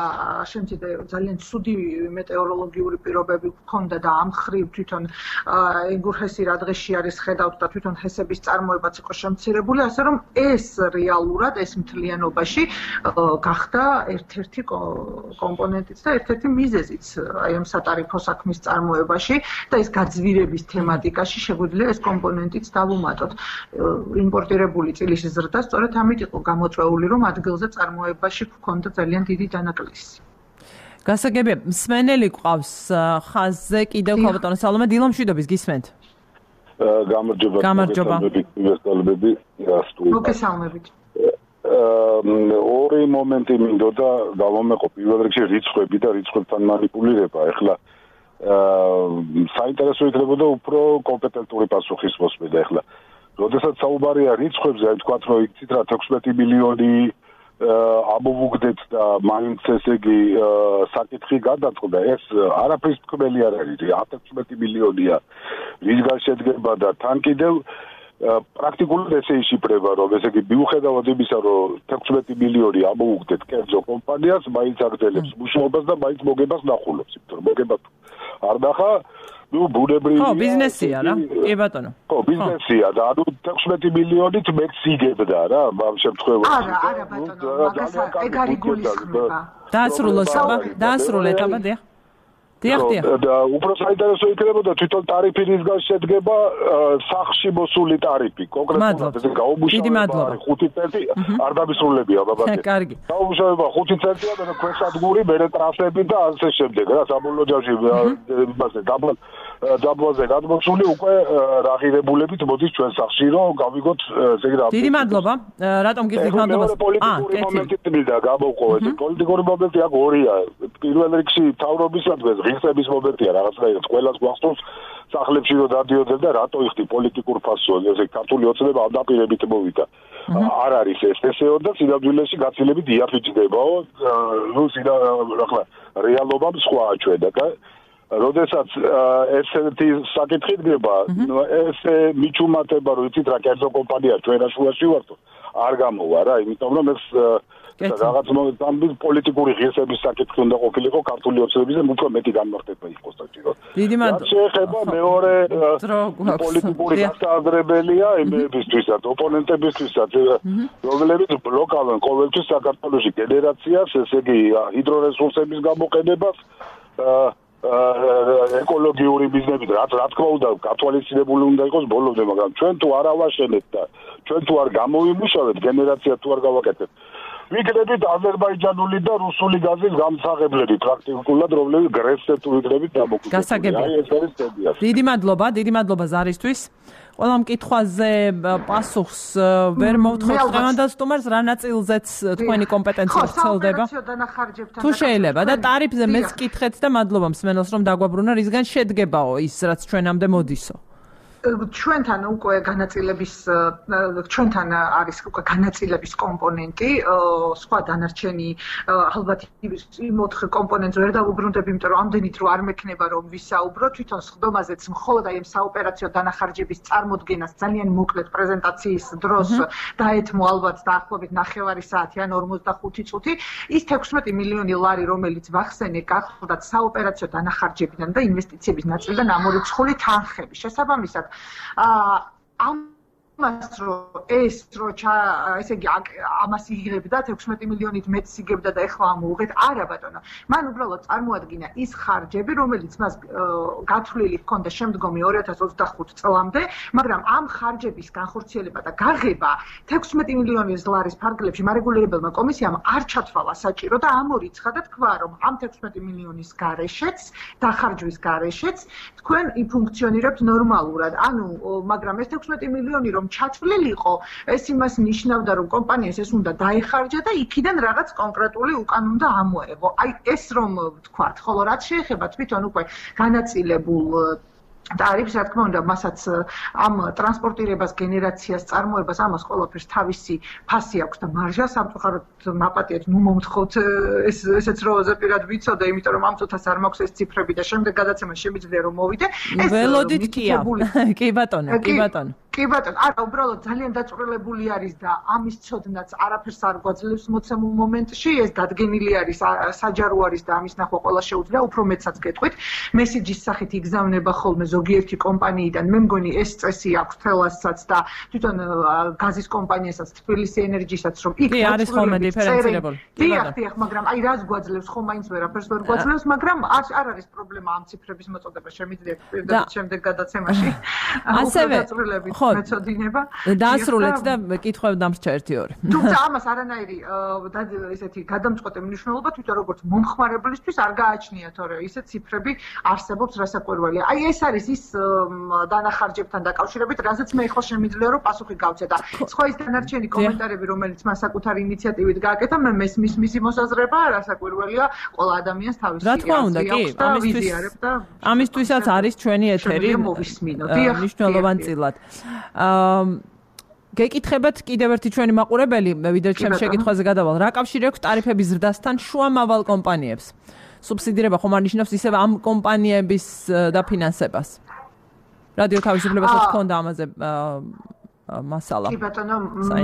შემცირდა ძალიან ცუდი მეტეოროლოგიური პირობები ჰქონდა და ამ ხრივ თვითონ ეგურჰესი რა დღეში არის ხედავთ და თვითონ ჰესების წარმოებაც იყო შემცირებული, ასე რომ ეს რეალურად ეს მთლიანობაში გახდა ერთ-ერთი კომპონენტიც და ერთ-ერთი მიზეზიც აი ამ სატარიფო საქმის წარმოებაში და ეს გაძვირების თემატიკაში შეგვიძლია ეს კომპონენტიც დავუმატოთ. იმპორტირებული წილის ზრდა სწორედ ამით იყო გამოწვეული, რომ ადგილზე წარმოებაში ჰქონდა ძალიან დიდი დანაკლისი. გასაგებია, მსმენელი ყავს ხაზზე კიდევ ქალბატონო სალომე დილამშვიდობის გისმენთ. გამარჯობა. მოგესალმებით. ორი მომენტი მინდოდა დავამეყო პირველ რიგში რიცხვები და რიცხვებთან манипуლირება. ეხლა საინტერესო იქნებოდა უფრო კომპეტენტური პასუხის მოსმენა. ეხლა როდესაც საუბარია რიცხვებზე, აი თქვათ რომ იცით რა 16 მილიონი ამოვუგდეთ და მაინც ესე იგი საკითხი გადაწყდა ეს არაფრის თქმელი არ არის 16 მილიონია რისგან შედგება და თან კიდევ პრაქტიკულად ესე იშიფრება რომ ესე იგი მიუხედავად იმისა რომ 16 მილიონი ამოვუგდეთ კერძო კომპანიას მაინც აგრძელებს მუშაობას და მაინც მოგებას ნახულობს იმიტომ რომ მოგებას არ ნახა ну ბუნებრივია ხო ბიზნესია რა კი ბატონო ხო ბიზნესია და ანუ 16 მილიონით მეც იგებდა რა ამ შემთხვევაში არა ბატონო მაგას ეგ არის გულისხმობა დაასრულეთ აბა დიახ და უფრო საინტერესო იქნებოდა თვითონ ტარიფი რისგან შედგება სახში მოსული ტარიფი კონკრეტულად ეს გაუმუშავება 5 ცენტი არ დამისრულებია ბაბაკე კარგი გაუმუშავება 5 ცენტია და ქვესადგური მერე ტრასები და ასე შემდეგ რა საბოლოო ჯამში იმაზე დაბლაზე გადმოსული უკვე რაღირებულებით მოდის ჩვენ სახში რომ გავიგოთ ესე იგი რა დიდი მადლობა რატომ გიხდით მადლობას პოლიტიკური მომენტი თბილდა გამოვყო ეს პოლიტიკური მომენტი აქ ორია პირველ რიგში თავრობისადმი ღირსების მომენტია რაღაცნაირად ყველას გვახსოვს სახლებში რომ დადიოდნენ და რატო იხდი პოლიტიკურ ფასონზე ესე ქართული ოცნება ამ დაპირებით მოვიდა არ არის ესეო და სინამდვილეში გაცილებით იაფიჭდებაო ნუ ახლა რეალობამ სხვაა ჩვენ და როდესაც ესეთი საკითხი დგება ესე მიჩუმატება რომ იცით რა კერძო კომპანია ჩვენ შუაში ვართ არ გამოვა რა იმიტომ რომ ეს რაღაც მომენტამდე პოლიტიკური ღირსების საკითხი უნდა ყოფილიყო ქართული ოცნებაზე უფრო მეტი განმარტება იყოს საჭირო. დიდი მადლობა. შეეხება მეორე პოლიტიკური გასააზრებელია იმებისთვისაც, ოპონენტებისთვისაც, რომლებიც ბლოკავენ ყოველთვის საქართველოში გენერაციას, ესე იგი ჰიდრორესურსების გამოყენებას ეკოლოგიური ბიზნესით რა თქმა უნდა გათვალისწინებული უნდა იყოს ბოლომდე მაგრამ ჩვენ თუ არ ავაშენებთ და ჩვენ თუ არ გამოვიმუშავებთ გენერაცია თუ არ გავაკეთებთ ვიქნებით აზერბაიჯანული და რუსული გაზის გამსაღებლები პრაქტიკულად რომლებიც გრესზე თუ ვიქნებით დამოკიდებული გასაგებია დიდი მადლობა ზარისთვის ყველა მკითხვაზე პასუხს ვერ მოვთხოვთ დღევანდელ სტუმარს რა ნაწილზეც თქვენი კომპეტენცია ვრცელდება თუ შეიძლება და ტარიფზე მეც კითხეთ და მადლობა მსმენელს რომ დაგვაბრუნა რისგან შედგებაო ის რაც ჩვენამდე მოდისო ჩვენთან უკვე განაწილების ჩვენთან არის უკვე განაწილების კომპონენტი სხვა დანარჩენი ალბათ იმ 4 კომპონენტს ვერ დავუბრუნდები იმიტომ რომ ამდენით რო არ მექნება რომ ვისაუბრო თვითონ სხდომაზეც მხოლოდ აი ამ საოპერაციო დანახარჯების წარმოდგენას ძალიან მოკლედ პრეზენტაციის დროს დაეთმო ალბათ დაახლოებით 9 საათი ან 45 წუთი ის 16 მილიონი ლარი რომელიც ვახსენე გახლდათ საოპერაციო დანახარჯებიდან და ინვესტიციების ნაწილიდან ამორიცხული თანხები შესაბამისად ამ ეს ესე იგი ამას იღებდა 16 მილიონით მეტს იღებდა და ეხლა ამოუღეთ არა ბატონო მან უბრალოდ წარმოადგინა ის ხარჯები რომელიც მას გათვლილი ჰქონდა შემდგომი 2025 წლამდე მაგრამ ამ ხარჯების განხორციელება და გაღება 16 მილიონი ზლარის ფარგლებში მარეგულირებელმა კომისიამ არ ჩათვალა საჭირო და ამორიცხა და თქვა რომ ამ 16 მილიონის გარეშეც დახარჯვის გარეშეც თქვენ იფუნქციონირებთ ნორმალურად ანუ მაგრამ ეს 16 მილიონი რომ ჩათვლილიყო, ეს იმას ნიშნავდა, რომ კომპანიას ეს უნდა დაეხარჯა და იქიდან რაღაც კონკრეტული უკან უნდა ამოეღო. აი ეს რომ ვთქვათ, ხოლო რაც შეეხება თვითონ უკვე განაწილებულ ტარიფს, რა თქმა უნდა, მასაც ამ ტრანსპორტირებას, გენერაციას, წარმოებას ამას ყველაფერს თავისი ფასი აქვს და მარჟა სამწუხაროდ მაპატიეთ, ნუ მომთხოვთ ესეც რო ზეპირად ვიცოდე, იმიტომ რომ ამ წუთას არ მაქვს ეს ციფრები და შემდეგ გადაცემა შემიძლია რომ მოვიდე. ეს ველოდით კია. კი ბატონო, კი ბატონო. კი ბატონო, არა, უბრალოდ ძალიან დაწვრილებული არის და ამის ცოდნაც არაფერს არ გვაძლევს მოცემულ მომენტში, ეს დადგენილი არის, საჯარო არის და ამის ნახვა ყველა შეუძლია, უფრო მეცაც გეტყვით. მესიჯის სახით იგზავნება ხოლმე ზოგიერთი კომპანიიდან, მე მგონი ეს წესი აქვს თელასაც და თვითონ გაზის კომპანიასაც, თბილისი ენერჯისაც, რომ იქ არის ხოლმე დიფერენცირებული. დიახ, მაგრამ აი რას გვაძლევს, ხომ მაინც ვერაფერს ვერ გვაძლევს, მაგრამ არ არის პრობლემა ამ ციფრების მოწოდება, შემიძლია პირდაპირ შემდეგ გადაცემაში. ასევე მეწოდინება დაასრულეთ და კითხავ დამრჩა 1-2. თუმცა ამას არანაირი ესეთი გადამწყვეტი მნიშვნელობა თვითონ როგორც მომხმარებლისთვის არ გააჩნია თორე ისე ციფრები არსებობს რასაკვირველია. აი ეს არის ის დანახარჯებთან დაკავშირებით, რასაც მე ახლა შემიძლია რომ პასუხი გავცე და სხვა ის დანარჩენი კომენტარები, რომელიც მან საკუთარი ინიციატივით გააკეთა, მე მესმის მისი მოსაზრება რასაკვირველია ყველა ადამიანს თავისი რა თქმა უნდა, კი, ამისთვისაც არის ჩვენი ეთერი მნიშვნელოვანწილად. გეკითხებათ კიდევ ერთი ჩვენი მაყურებელი, ვიდრე ჩემ შეკითხვაზე გადავალ, რა კავშირი აქვს ტარიფების ზრდასთან შუამავალ კომპანიებს? სუბსიდირება ხომ არ ნიშნავს ისევ ამ კომპანიების დაფინანსებას? რადიო თავისუფლებასაც ჰქონდა ამაზე მასალა. კი ბატონო,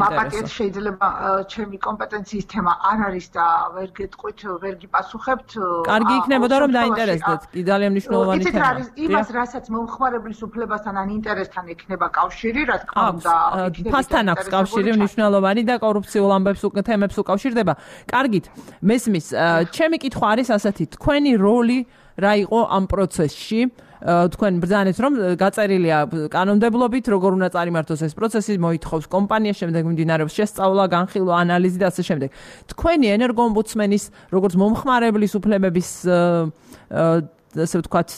მაპატიეთ შეიძლება ჩემი კომპეტენციის თემა არ არის და ვერ გეტყვით, ვერ გიპასუხებთ. კარგი იქნებოდა რომ დაინტერესდეთ, კი ძალიან მნიშვნელოვანი თემა. იმას რასაც მომხმარებლის უფლებასთან ან ინტერესთან ექნება კავშირი, რა თქმა უნდა, ფასთან აქვს კავშირი მნიშვნელოვანი და კორუფციულ ამბებს თემებს უკავშირდება. კარგით, მესმის, ჩემი კითხვა არის ასეთი, თქვენი როლი რა იყო ამ პროცესში? თქვენ ბრძანეთ რომ გაწერილია კანონმდებლობით როგორ უნდა წარიმართოს ეს პროცესი, მოითხოვს კომპანია, შემდეგ მიმდინარეობს შესწავლა, განხილვა, ანალიზი და ასე შემდეგ. თქვენი ენერგოომბუდსმენის როგორც მომხმარებლის უფლებების ასე ვთქვათ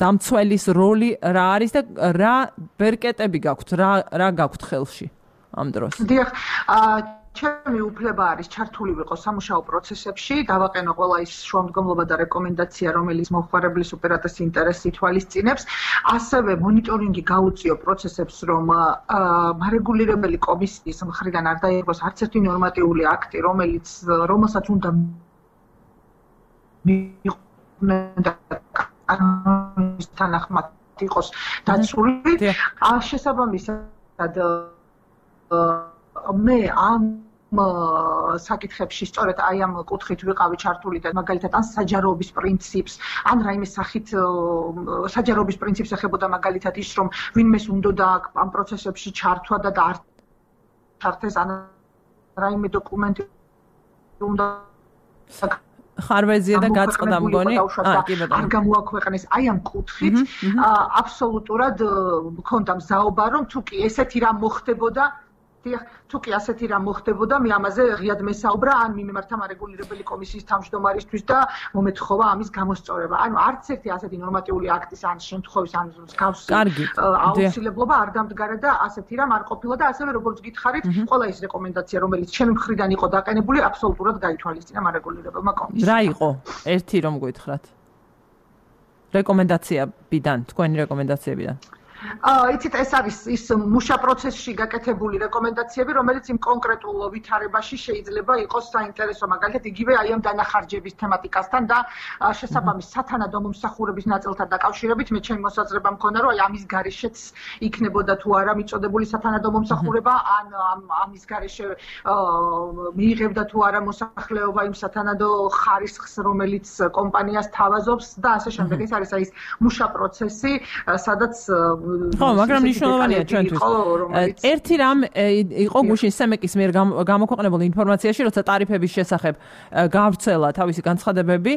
დამცველის როლი რა არის და რა ბერკეტები გაქვთ, რა გაქვთ ხელში ამ დროს? დიახ, ჩემი უფლება არის ჩართული ვიყო სამუშაო პროცესებში, დავაყენო ყველა ის შუამდგომლობა და რეკომენდაცია, რომელიც მომხმარებლის უპირატეს ინტერესს ითვალისწინებს, ასევე მონიტორინგი გაუწიო პროცესებს, რომ მარეგულირებელი კომისიის მხრიდან არ დაიღოს არც ერთი ნორმატიული აქტი, რომელსაც უნდა თანახმად იყოს დაცული. შესაბამისად მე ამ საკითხებში სწორედ აი ამ კუთხით ვიყავი ჩართული და მაგალითად ან საჯაროობის პრინციპს, ან რაიმე სახით საჯაროობის პრინციპს ეხებოდა მაგალითად ის, რომ ვინმეს უნდა ამ პროცესებში ჩართვა და არ ჩართეს ან რაიმე დოკუმენტი უნდა ხარვეზია და გაწყდა მგონი. არ გამოაქვეყნეს აი ამ კუთხით აბსოლუტურად მქონდა მზაობა, რომ თუ კი ესეთი რამ მოხდებოდა თუ კი ასეთი რამ მოხდებოდა, მე ამაზე ღიად მესაუბრა, ან მიმართა მარეგულირებელი კომისიის თავმჯდომარისთვის და მომეთხოვა ამის გამოსწორება. ანუ არც ერთი ასეთი ნორმატიული აქტის ან შემთხვევის ან მსგავსი აუცილებლობა არ დამდგარა და ასეთი რამ არ ყოფილა და ასევე როგორც გითხარით, ყველა ის რეკომენდაცია, რომელიც ჩემი მხრიდან იყო დაყენებული, აბსოლუტურად გაითვალისწინა მარეგულირებელმა კომისიამ. რა იყო? ერთი რომ გითხრათ. რეკომენდაციებიდან, თქვენი რეკომენდაციებიდან. იცით, ეს არის ის მუშა პროცესში გაკეთებული რეკომენდაციები, რომელიც იმ კონკრეტულ ვითარებაში შეიძლება იყოს საინტერესო, მაგალითად იგივე აი ამ დანახარჯების თემატიკასთან და შესაბამის სათანადო მომსახურების ნაწილთან დაკავშირებით, მე ჩემი მოსაზრება მქონდა, რომ აი ამის გარეშეც იქნებოდა თუ არა მიწოდებული სათანადო მომსახურება, ან ამის გარეშე მიიღებდა თუ არა მოსახლეობა იმ სათანადო ხარისხს, რომელიც კომპანიას თავაზობს და ასე შემდეგ. ეს არის აი ეს მუშა პროცესი, სადაც ხო, მაგრამ მნიშვნელოვანია ჩვენთვის. ერთი რამ იყო გუშინ სემეკის მიერ გამოქვეყნებულ ინფორმაციაში, როცა ტარიფების შესახებ გავრცელა თავისი განცხადებები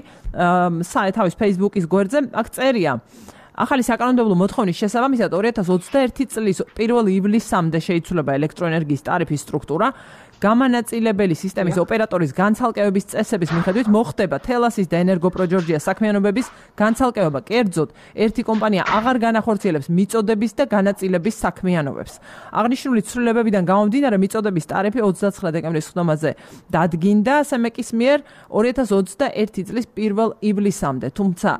თავის Facebook-ის გვერდზე, აქ წერია ახალი საკანონმდებლო მოთხოვნის შესაბამისად 2021 წლის 1 ივლისამდე შეიცვლება ელექტროენერგიის ტარიფის სტრუქტურა. გამანაწილებელი სისტემის ოპერატორის განცალკევების წესების მიხედვით მოხდება თელასის და ენერგოპროჯორჯიას საქმიანობების განცალკევება. კერძოდ, ერთი კომპანია აღარ განახორციელებს მიწოდების და განაწილების საქმიანობებს. აღნიშნული ცვლილებებიდან გამომდინარე, მიწოდების ტარიფი 29 დეკემბრის ხდომაზე დადგინდა სემეკის მიერ 2021 წლის 1 ივლისამდე. თუმცა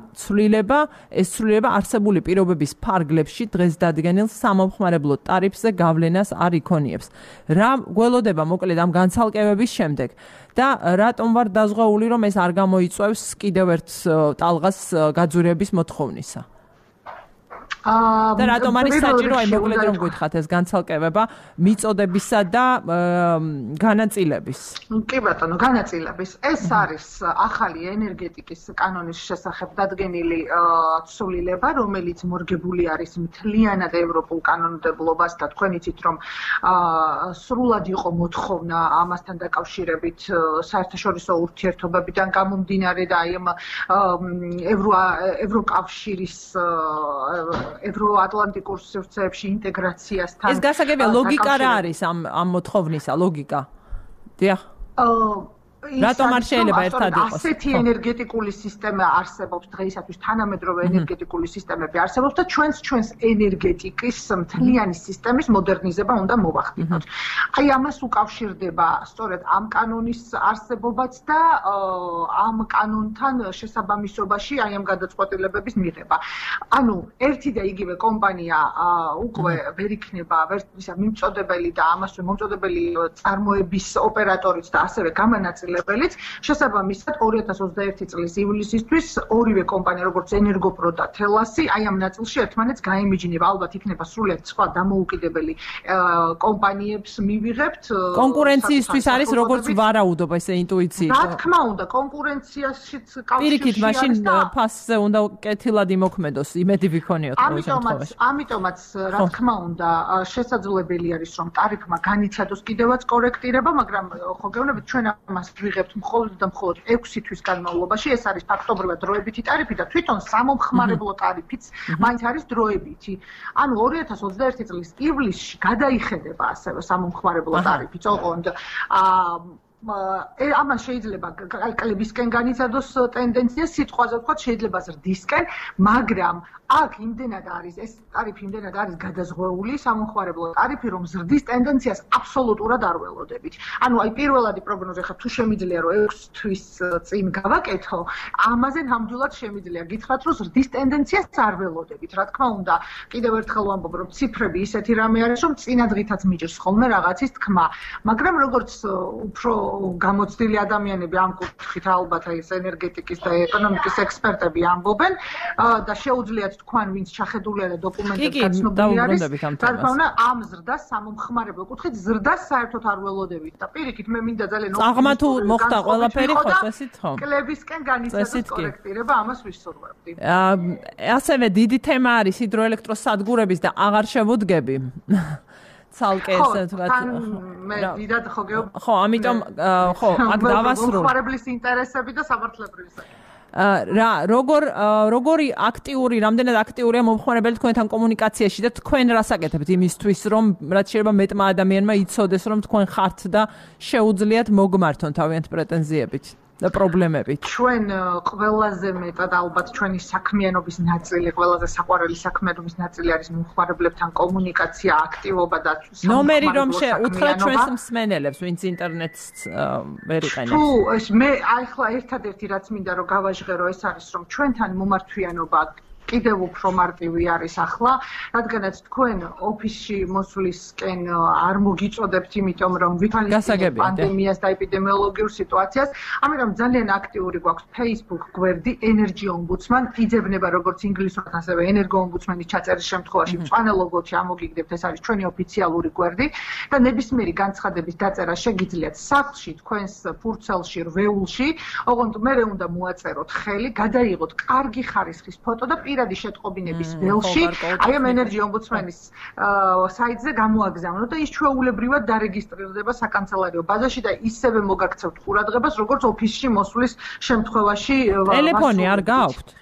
ეს ცვლილება არსებული პირობების ფარგლებში დღეს დადგენილ სამომხმარებლო ტარიფზე გავლენას არ იქონიებს. რა გველოდება მოკლედ ამ განცალკევების შემდეგ და რატომ ვარ დაზღვეული, რომ ეს არ გამოიწვევს კიდევ ერთ ტალღას გაძვირების მოთხოვნისა? და რატომ არის საჭირო აი მოკლედ რომ გითხრათ ეს განცალკევება მიწოდებისა და განაწილების? კი ბატონო, განაწილების. ეს არის ახალი ენერგეტიკის კანონის შესახებ დადგენილი ცვლილება, რომელიც მორგებული არის მთლიანად ევროპულ კანონმდებლობას და თქვენ იცით რომ სრულად იყო მოთხოვნა ამასთან დაკავშირებით საერთაშორისო ურთიერთობებიდან გამომდინარე და აი ამ ევროკავშირის ევროატლანტიკურ სივრცეებში ინტეგრაციასთან. ეს გასაგებია ლოგიკა რა არის ამ მოთხოვნისა ლოგიკა? დიახ. რატომ არ შეიძლება ერთად იყოს? ასეთი ენერგეტიკული სისტემა არსებობს დღეისათვის, თანამედროვე ენერგეტიკული სისტემები არსებობს და ჩვენს ენერგეტიკის მთლიანი სისტემის მოდერნიზება უნდა მოვახდინოთ. აი ამას უკავშირდება სწორედ ამ კანონის არსებობაც და ამ კანონთან შესაბამისობაში აი ამ გადაწყვეტილებების მიღება. ანუ ერთი და იგივე კომპანია უკვე ვერ იქნება მიმწოდებელი და ამასვე მომწოდებელი წარმოების ოპერატორიც და ასევე გამანაწილებელი შესაბამისად 2021 წლის ივლისისთვის ორივე კომპანია როგორც ენერგოპრო და თელასი აი ამ ნაწილში ერთმანეთს გაემიჯნება. ალბათ იქნება სრულიად სხვა დამოუკიდებელი კომპანიებს მივიღებთ. კონკურენციისთვის არის როგორც ვარაუდობა ესე ინტუიციით. რა თქმა უნდა, კონკურენციაშიც კავშირი პირიქით მაშინ ფასზე უნდა კეთილად იმოქმედოს, იმედი ვიქონიოთ ყოველ შემთხვევაში. ამიტომაც რა თქმა უნდა შესაძლებელი არის რომ ტარიფმა განიცადოს კიდევაც კორექტირება, მაგრამ ხო გეუბნებით ჩვენ ამას ვიღებთ მხოლოდ და მხოლოდ 6 თვის განმავლობაში. ეს არის ფაქტობრივად დროებითი ტარიფი და თვითონ სამომხმარებლო ტარიფიც მაინც არის დროებითი. ანუ 2021 წლის ივლისში გადაიხედება ასევე სამომხმარებლო ტარიფიც, ოღონდ ამან შეიძლება კალკლებისკენ განიცადოს ტენდენცია, სიტყვაზე ვთქვათ, შეიძლება ზრდისკენ, მაგრამ აქ იმდენად არის ეს ტარიფი იმდენად არის გადაზღვეული სამომხმარებლო ტარიფი, რომ ზრდის ტენდენციას აბსოლუტურად არ ველოდებით. ანუ აი პირველადი პროგნოზი ხა თუ შემიძლია რომ 6 თვის წინ გავაკეთო, ამაზე ნამდვილად შემიძლია გითხრათ, რომ ზრდის ტენდენციას არ ველოდებით. რა თქმა უნდა, კიდევ ერთხელ ვამბობ, რომ ციფრები ისეთი რამე არის, რომ წინადღითაც მიჭირს ხოლმე რაღაცის თქმა, მაგრამ როგორც უფრო გამოცდილი ადამიანები ამ კუთხით ალბათ აი ეს ენერგეტიკის და ეკონომიკის ექსპერტები ამბობენ და შეუძლიათ თქვენ ვინც ჩახედულია და დოკუმენტები გაცნობილი არის. რა თქმა უნდა, ამ ზრდას სამომხმარებლო კუთხით ზრდას საერთოდ არ ველოდებით და პირიქით მე მინდა ძალიან აღმა თუ მოხდა ყველაფერი ხო წესით ხო? კლებისკენ განიცადოს კორექტირება, ამას ვისურვებდი. ასევე დიდი თემა არის ჰიდროელექტროსადგურების და აღარ შევუდგები. ცალკე ესე თქვა. მე დიდად ხო გეუბნები. ხო, ამიტომ ხო, აქ დავასრულე. მომხმარებლის ინტერესები და სამართლებრივი საკითხი. როგორი აქტიური, რამდენად აქტიურია მომხმარებელი თქვენთან კომუნიკაციაში და თქვენ რას აკეთებთ იმისთვის, რომ რაც შეიძლება მეტმა ადამიანმა იცოდეს, რომ თქვენ ხართ და შეუძლიათ მოგმართონ თავიანთ პრეტენზიებით და პრობლემებით. ჩვენ ყველაზე მეტად ალბათ ჩვენი საქმიანობის ნაწილი, ყველაზე საყვარელი საქმიანობის ნაწილი არის მომხმარებლებთან კომუნიკაცია, აქტივობა და ნომერი რომ უთხრათ ჩვენს მსმენელებს, ვინც ინტერნეტს ვერ იყენებს. თუ მე ახლა ერთადერთი რაც მინდა რომ გავაჟღერო ეს არის რომ ჩვენთან მომართვიანობა კიდევ უფრო მარტივი არის ახლა, რადგანაც თქვენ ოფისში მოსვლისკენ არ მოგიწოდებთ, იმიტომ რომ ვითვალისწინებთ პანდემიას და ეპიდემიოლოგიურ სიტუაციას, ამიტომ ძალიან აქტიური გვაქვს Facebook გვერდი Energy Ombudsman, იძებნება როგორც ინგლისურად, ასევე Energo Ombudsman-ის ჩაწერის შემთხვევაში მწვანე-ლოგოთი ამოგიგდებთ, ეს არის ჩვენი ოფიციალური გვერდი და ნებისმიერი განცხადების დაწერა შეგიძლიათ სახლში, თქვენს ფურცელში, რვეულში, ოღონდ მერე უნდა მოაწეროთ ხელი, გადაიღოთ კარგი ხარისხის ფოტო და პირადი შეტყობინების ველში აი ამ ენერჯი ომბუდსმენის საიტზე გამოაგზავნოთ და ის ჩვეულებრივად დარეგისტრირდება საკანცელერიო ბაზაში და ისევე მოგაქცევთ ყურადღებას როგორც ოფისში მოსვლის შემთხვევაში ტელეფონი არ გაქვთ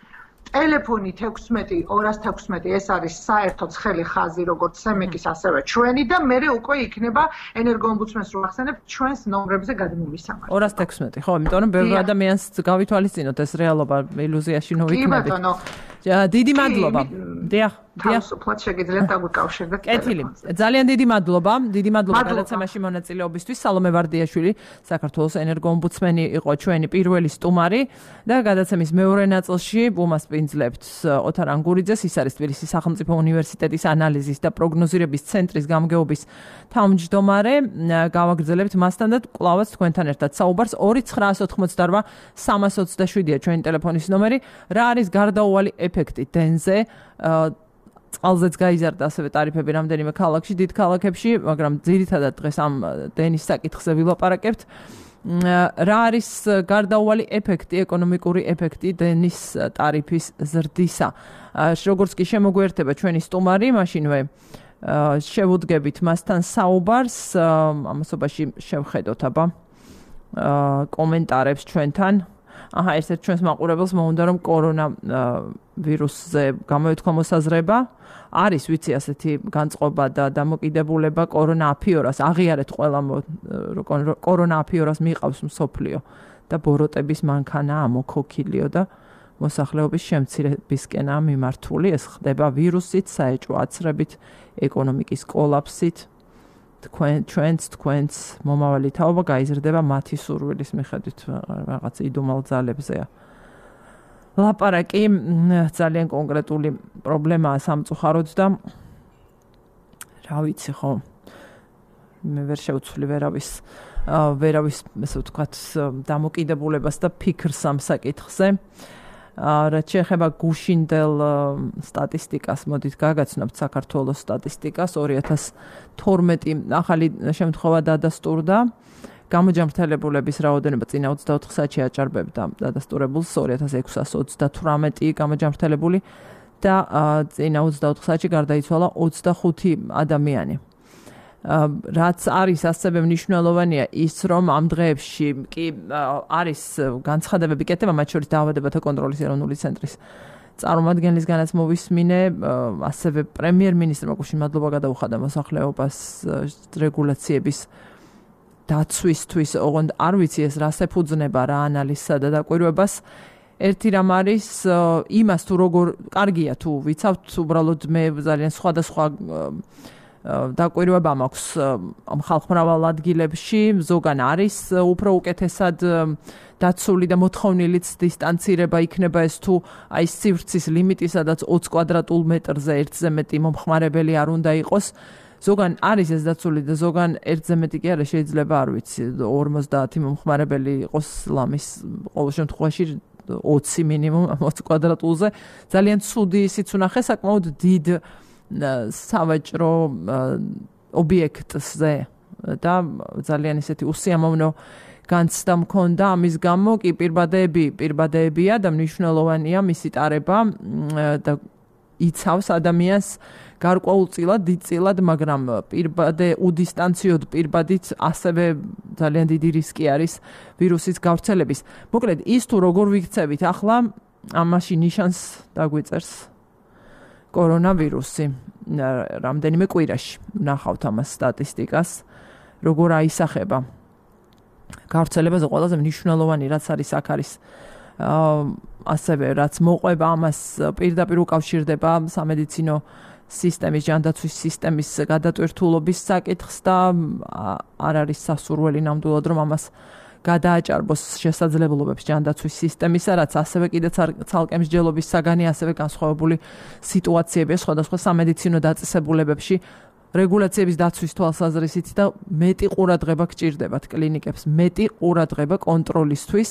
ტელეფონი 16-216 ეს არის საერთო ცხელი ხაზი როგორც სემეკის ასევე ჩვენი და მე უკვე იქნება ენერგოომბუდსმენს რო ახსენებ ჩვენს ნომრებზე გადმომისამართი 216 ხო იმიტომ რომ ბევრი ადამიანს გავითვალისწინოთ ეს რეალობა ილუზიაში ნოვიქნებით დიდი მადლობა დიახ თავისუფლად შეგიძლიათ დაგვიკავშირდეთ კეთილი ძალიან დიდი მადლობა გადაცემაში მონაწილეობისთვის სალომე ვარდიაშვილი საქართველოს ენერგოომბუდსმენი იყო ჩვენი პირველი სტუმარი და გადაცემის მეორე ნაწილში უმასპინძლებთ ოთარ ანგურიძეს ის არის თბილისის სახელმწიფო უნივერსიტეტის ანალიზის და პროგნოზირების ცენტრის გამგეობის თავმჯდომარე გავაგრძელებთ მასთან და კვლავაც თქვენთან ერთად საუბარს 2988 327-ია ჩვენი ტელეფონის ნომერი რა არის გარდაუვალი ეფექტი დენზე წყალზეც გაიზარდა ასევე ტარიფები რამდენიმე ქალაქში, დიდ ქალაქებში, მაგრამ ძირითადად დღეს ამ დენის საკითხზე ვილაპარაკებთ. რა არის გარდაუვალი ეფექტი, ეკონომიკური ეფექტი დენის ტარიფის ზრდისა? როგორც კი შემოგვიერთება ჩვენი სტუმარი, მაშინვე შევუდგებით მასთან საუბარს, ამასობაში შევხედოთ აბა კომენტარებს ჩვენთან. ერთ ჩვენს მაყურებელს მოუნდა რომ კორონა ვირუსზე გამოეთქვა მოსაზრება არის ვიცი ასეთი განწყობა და დამოკიდებულება კორონა აფიორას აღიარეთ ყველა კორონა აფიორას მიყავს მსოფლიო და ბოროტების მანქანაა მოქოქილიო და მოსახლეობის შემცირებისკენაა მიმართული ეს ხდება ვირუსით საეჭვო აცრებით ეკონომიკის კოლაფსით თქვენს მომავალი თაობა გაიზრდება მათი სურვილის მიხედვით რაღაც იდუმალ ძალებზეა. ლაპარაკი ძალიან კონკრეტული პრობლემაა სამწუხაროდ და რა ვიცი ხო მე ვერ შევცვლი ვერავის ესე ვთქვათ დამოკიდებულებას და ფიქრს ამ საკითხზე. რაც შეეხება გუშინდელ სტატისტიკას, მოდით გაგაცნობთ საქართველოს სტატისტიკას 2012 ახალი შემთხვევა დადასტურდა. გამოჯამრთელებულების რაოდენობა წინა 24 საათში აჭარბებდა დადასტურებულს 2628 გამოჯამრთელებული და წინა 24 საათში გარდაიცვალა 25 ადამიანი. რაც არის ასევე მნიშვნელოვანია ის რომ ამ დღეებში კი არის განცხადებები კეთება მათ შორის დაავადებათა კონტროლის ეროვნული ცენტრის წარმომადგენლისგანაც მოვისმინე ასევე პრემიერ-მინისტრმა გუშინ მადლობა გადაუხადა მოსახლეობას რეგულაციების დაცვისთვის ოღონდ არ ვიცი ეს რას ეფუძნება რა ანალიზსა და დაკვირვებას ერთი რამ არის იმას თუ როგორ კარგია თუ ვიცავთ უბრალოდ მე ძალიან სხვადასხვა დაკვირვება მაქვს ამ ხალხმრავალ ადგილებში ზოგან არის უფრო უკეთესად დაცული და მოთხოვნილიც დისტანცირება იქნება ეს თუ აი სივრცის ლიმიტი სადაც 20 კვადრატულ მეტრზე ერთზე მეტი მომხმარებელი არ უნდა იყოს ზოგან არის ეს დაცული და ზოგან ერთზე მეტი კი არა შეიძლება არ ვიცი 50 მომხმარებელი იყოს ლამის ყოველ შემთხვევაში 20 მინიმუმ 20 კვადრატულზე ძალიან ცუდი ისიც უნახე საკმაოდ დიდ სავაჭრო ობიექტზე და ძალიან ისეთი უსიამოვნო განცდა მქონდა ამის გამო კი პირბადეებია და მნიშვნელოვანია მისი ტარება და იცავს ადამიანს გარკვეულწილად დიდწილად მაგრამ უდისტანციოდ პირბადით ასევე ძალიან დიდი რისკი არის ვირუსის გავრცელების მოკლედ ის თუ როგორ ვიქცევით ახლა ამაში ნიშანს დაგვიწერს კორონავირუსი რამდენიმე კვირაში ნახავთ ამას სტატისტიკას როგორ აისახება გავრცელებაზე ყველაზე მნიშვნელოვანი რაც არის აქ არის ასევე რაც მოყვება ამას პირდაპირ უკავშირდება სამედიცინო სისტემის ჯანდაცვის სისტემის გადატვირთულობის საკითხს და არ არის სასურველი ნამდვილად რომ ამას გადააჭარბოს შესაძლებლობებს ჯანდაცვის სისტემისა, რაც ასევე კიდე ცალკე მსჯელობის საგანი, ასევე განსხვავებული სიტუაციებია სხვადასხვა სამედიცინო დაწესებულებებში, რეგულაციების დაცვის თვალსაზრისით და მეტი ყურადღება გჭირდებათ კლინიკებს, მეტი ყურადღება კონტროლისთვის,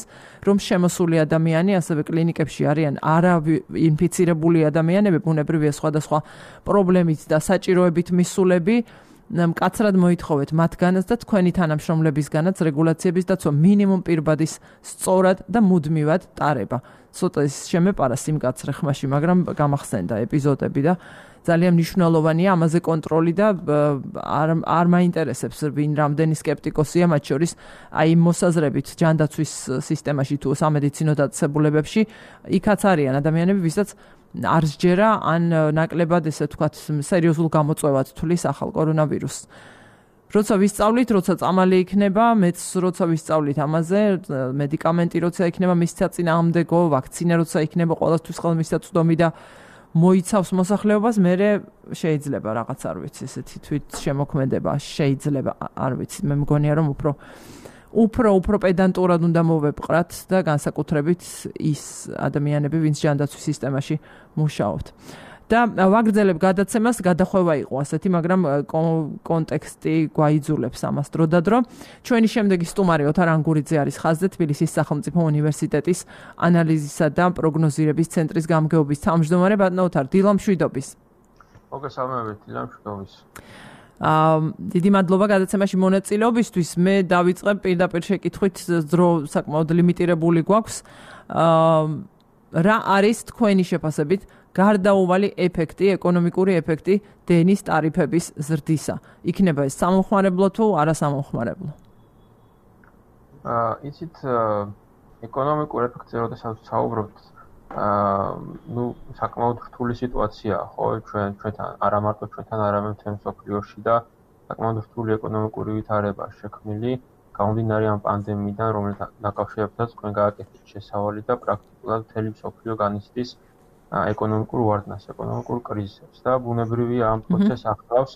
რომ შემოსული ადამიანი ასევე კლინიკებში არიან არაინფიცირებული ადამიანები, ბუნებრივია სხვადასხვა პრობლემით და საჭიროებით მისულები. მკაცრად მოითხოვეთ მათგანაც და თქვენი თანამშრომლებისგანაც რეგულაციების დაცვა მინიმუმ პირბადის სწორად და მუდმივად ტარება. ცოტა ის შემეპარა სიმკაცრე ხმაში, მაგრამ გამახსენდა ეპიზოდები და ძალიან მნიშვნელოვანია ამაზე კონტროლი და არ მაინტერესებს ვინ რამდენი სკეპტიკოსია, მათ შორის აი მოსაზრებით ჯანდაცვის სისტემაში თუ სამედიცინო დაწესებულებებში იქაც არიან ადამიანები, ვისაც არ სჯერა ან ნაკლებად ესე ვთქვათ სერიოზულ გამოწვევად თulis ახალ კორონავირუსს. როცა ვისწავლით, როცა წამალი იქნება, მეც როცა ვისწავლით ამაზე, მედიკამენტი როცა იქნება მის საწინააღმდეგო, ვაქცინა როცა იქნება ყოველთვის ხელმისაწვდომი და მოიცავს მოსახლეობას, მე შეიძლება რაღაც არ ვიცი, ესეთი თვით შემოქმედება შეიძლება, არ ვიცი, მე მგონია რომ უფრო პედანტურად უნდა მოვეპყრათ და განსაკუთრებით ის ადამიანები, ვინც ჯანდაცვის სისტემაში მუშაობთ. და ვაგრძელებ გადაცემას, გადახვევა იყო ასეთი, მაგრამ კონტექსტი გვაიძულებს ამას დროდადრო. ჩვენი შემდეგი სტუმარი ოთარ ანგურიძე არის ხაზზე, თბილისის სახელმწიფო უნივერსიტეტის ანალიზისა და პროგნოზირების ცენტრის გამგეობის თავმჯდომარე. ბატონო ოთარ, დილა მშვიდობის. მოგესალმებით, დილა მშვიდობის. დიდი მადლობა გადაცემაში მონაწილეობისთვის. მე დავიწყებ პირდაპირ შეკითხვით, დრო საკმაოდ ლიმიტირებული გვაქვს. რა არის თქვენი შეფასებით გარდაუვალი ეფექტი, ეკონომიკური ეფექტი დენის ტარიფების ზრდისა? იქნება ეს სამომხმარებლო თუ არასამომხმარებლო? იცით, ეკონომიკურ ეფექტზე როდესაც საუბრობთ, საკმაოდ რთული სიტუაციაა, ხო, ჩვენთან, არა მარტო ჩვენთან, არამედ მთელ მსოფლიოში და საკმაოდ რთული ეკონომიკური ვითარება შექმნილი, გამომდინარე ამ პანდემიიდან, რომელიც დაკავშირებითაც თქვენ გააკეთეთ შესავალი და პრაქტიკულად მთელი მსოფლიო განიცდის ეკონომიკურ ვარდნას, ეკონომიკურ კრიზისებს და ბუნებრივია ამ პროცესს ახლავს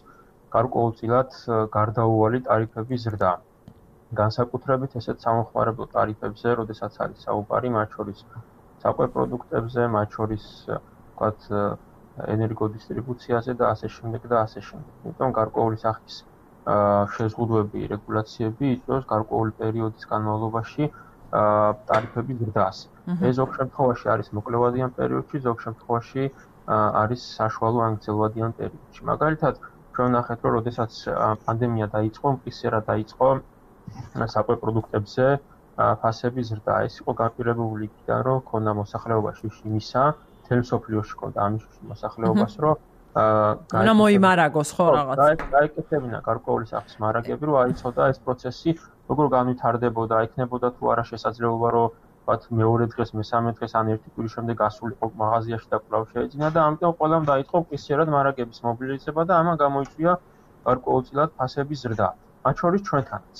გარკვეულწილად გარდაუვალი ტარიფების ზრდა. განსაკუთრებით ესეთ სამომხმარებლო ტარიფებზე, როდესაც არის საუბარი, მათ შორის საკვებ პროდუქტებზე, მათ შორის ვთქვათ ენერგოდისტრიბუციაზე და ასე შემდეგ და ასე შემდეგ. იმიტომ გარკვეული სახის შეზღუდვები, რეგულაციები იწვევს გარკვეული პერიოდის განმავლობაში ტარიფების ზრდას. ეს ზოგ შემთხვევაში არის მოკლევადიან პერიოდში, ზოგ შემთხვევაში არის საშუალო ან გრძელვადიან პერიოდში. მაგალითად, ჩვენ ვნახეთ, რომ როდესაც პანდემია დაიწყო, მყისერა დაიწყო საკვებ პროდუქტებზე ფასების ზრდა. ეს იყო განპირობებული იქიდან, რომ ქონდა მოსახლეობაში შიმისა, მთელ მსოფლიოში ქონდა ამის მოსახლეობას, რომ უნდა მოიმარაგოს ხო რაღაც. გაიკეთებინა გარკვეული სახის მარაგები, რომ აიცოდა ეს პროცესი როგორ განვითარდებოდა, იქნებოდა თუ არა შესაძლებლობა, რომ ვთქვათ მეორე დღეს, მესამე დღეს ან ერთი კვირის შემდეგ გასულიყო მაღაზიაში და კვლავ შეეძინა და ამიტომ ყველამ დაიწყო მყისიერად მარაგების მობილიზება და ამან გამოიწვია გარკვეულწილად ფასების ზრდა. მათ შორის ჩვენთანაც.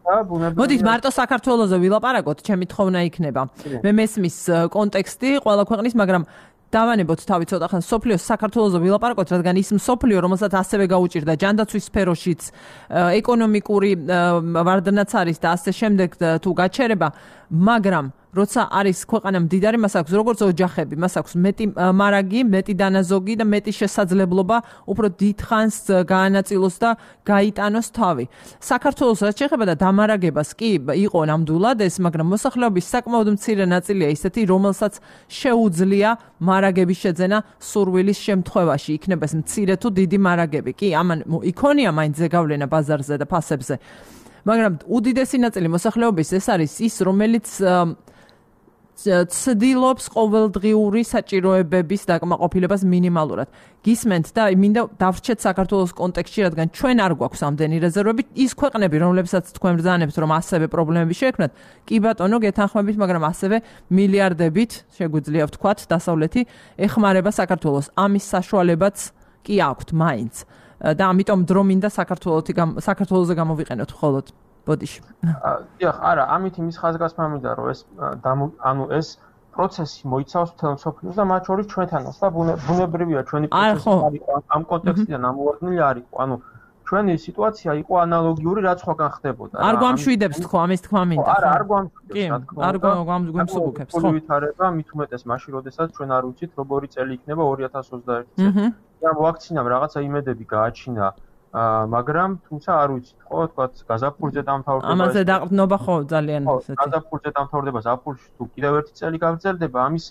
და ბუნებრივია მოდით მარტო საქართველოზე ვილაპარაკოთ, ჩემი თხოვნა იქნება. მე მესმის კონტექსტი ყველა ქვეყნის, მაგრამ დავანებოთ თავი ცოტა ხან სოფლიოს საქართველოზე ვილაპარაკოთ, რადგან ის სოფლიო, რომელსაც ასევე გაუჭირდა ჯანდაცვის სფეროშიც, ეკონომიკური ვარდნაც არის და ასე შემდეგ თუ გაჩერება, მაგრამ როცა არის ქვეყანა მდიდარი, მას აქვს როგორც ოჯახები, მას აქვს მეტი მარაგი, მეტი დანაზოგი და მეტი შესაძლებლობა უფრო დიდხანს გაანაწილოს და გაიტანოს თავი. საქართველოს რაც შეეხება და დამარაგებას კი იყო ნამდვილად ეს, მაგრამ მოსახლეობის საკმაოდ მცირე ნაწილია ისეთი, რომელსაც შეუძლია მარაგების შეძენა სურვილის შემთხვევაში, იქნება ეს მცირე თუ დიდი მარაგები. კი, ამან იქონია მაინც ზეგავლენა ბაზარზე და ფასებზე. მაგრამ უდიდესი ნაწილი მოსახლეობის ეს არის ის, რომელიც ცდილობს ყოველდღიური საჭიროებების დაკმაყოფილებას მინიმალურად. გისმენთ და მინდა დავრჩეთ საქართველოს კონტექსტში, რადგან ჩვენ არ გვაქვს ამდენი რეზერვები. ის ქვეყნები, რომლებსაც თქვენ ბრძანებთ, რომ ასევე პრობლემები შეექმნათ, კი ბატონო, გეთანხმებით, მაგრამ ასევე მილიარდებით, შეგვიძლია ვთქვათ, დასავლეთი ეხმარება საქართველოს. ამის საშუალებაც კი აქვთ მაინც. და ამიტომ დრო მინდა საქართველოზე გამოვიყენოთ მხოლოდ. ბოდიში. დიახ, არა, ამით იმის ხაზგასმა მინდა, რომ ეს პროცესი მოიცავს მთელ მსოფლიოს და მათ შორის ჩვენთანაც და ბუნებრივია ჩვენი პროცესი ამ კონტექსტიდან ამოვარდნილი არ იყო. ჩვენი სიტუაცია იყო ანალოგიური, რაც სხვაგან ხდებოდა. არ გვამშვიდებს თქო ამის თქმა მინდა. არა, არ გვამშვიდებს, თქო. არ გვამსუბუქებს, ხო. ვითარება მით უმეტეს მაშინ, როდესაც ჩვენ არ ვიცით, როგორი წელი იქნება 2021 წელი. და ვაქცინამ რაღაცა იმედები გააჩინა, მაგრამ თუმცა არ ვიცით, ხო, თქვათ, გაზაფხულზე დამთავრდება. ამაზე დაყრდნობა ხო ძალიან ესეთი. გაზაფხულზე დამთავრდება, ზაფხულში თუ კიდევ ერთი წელი გაგრძელდება, ამის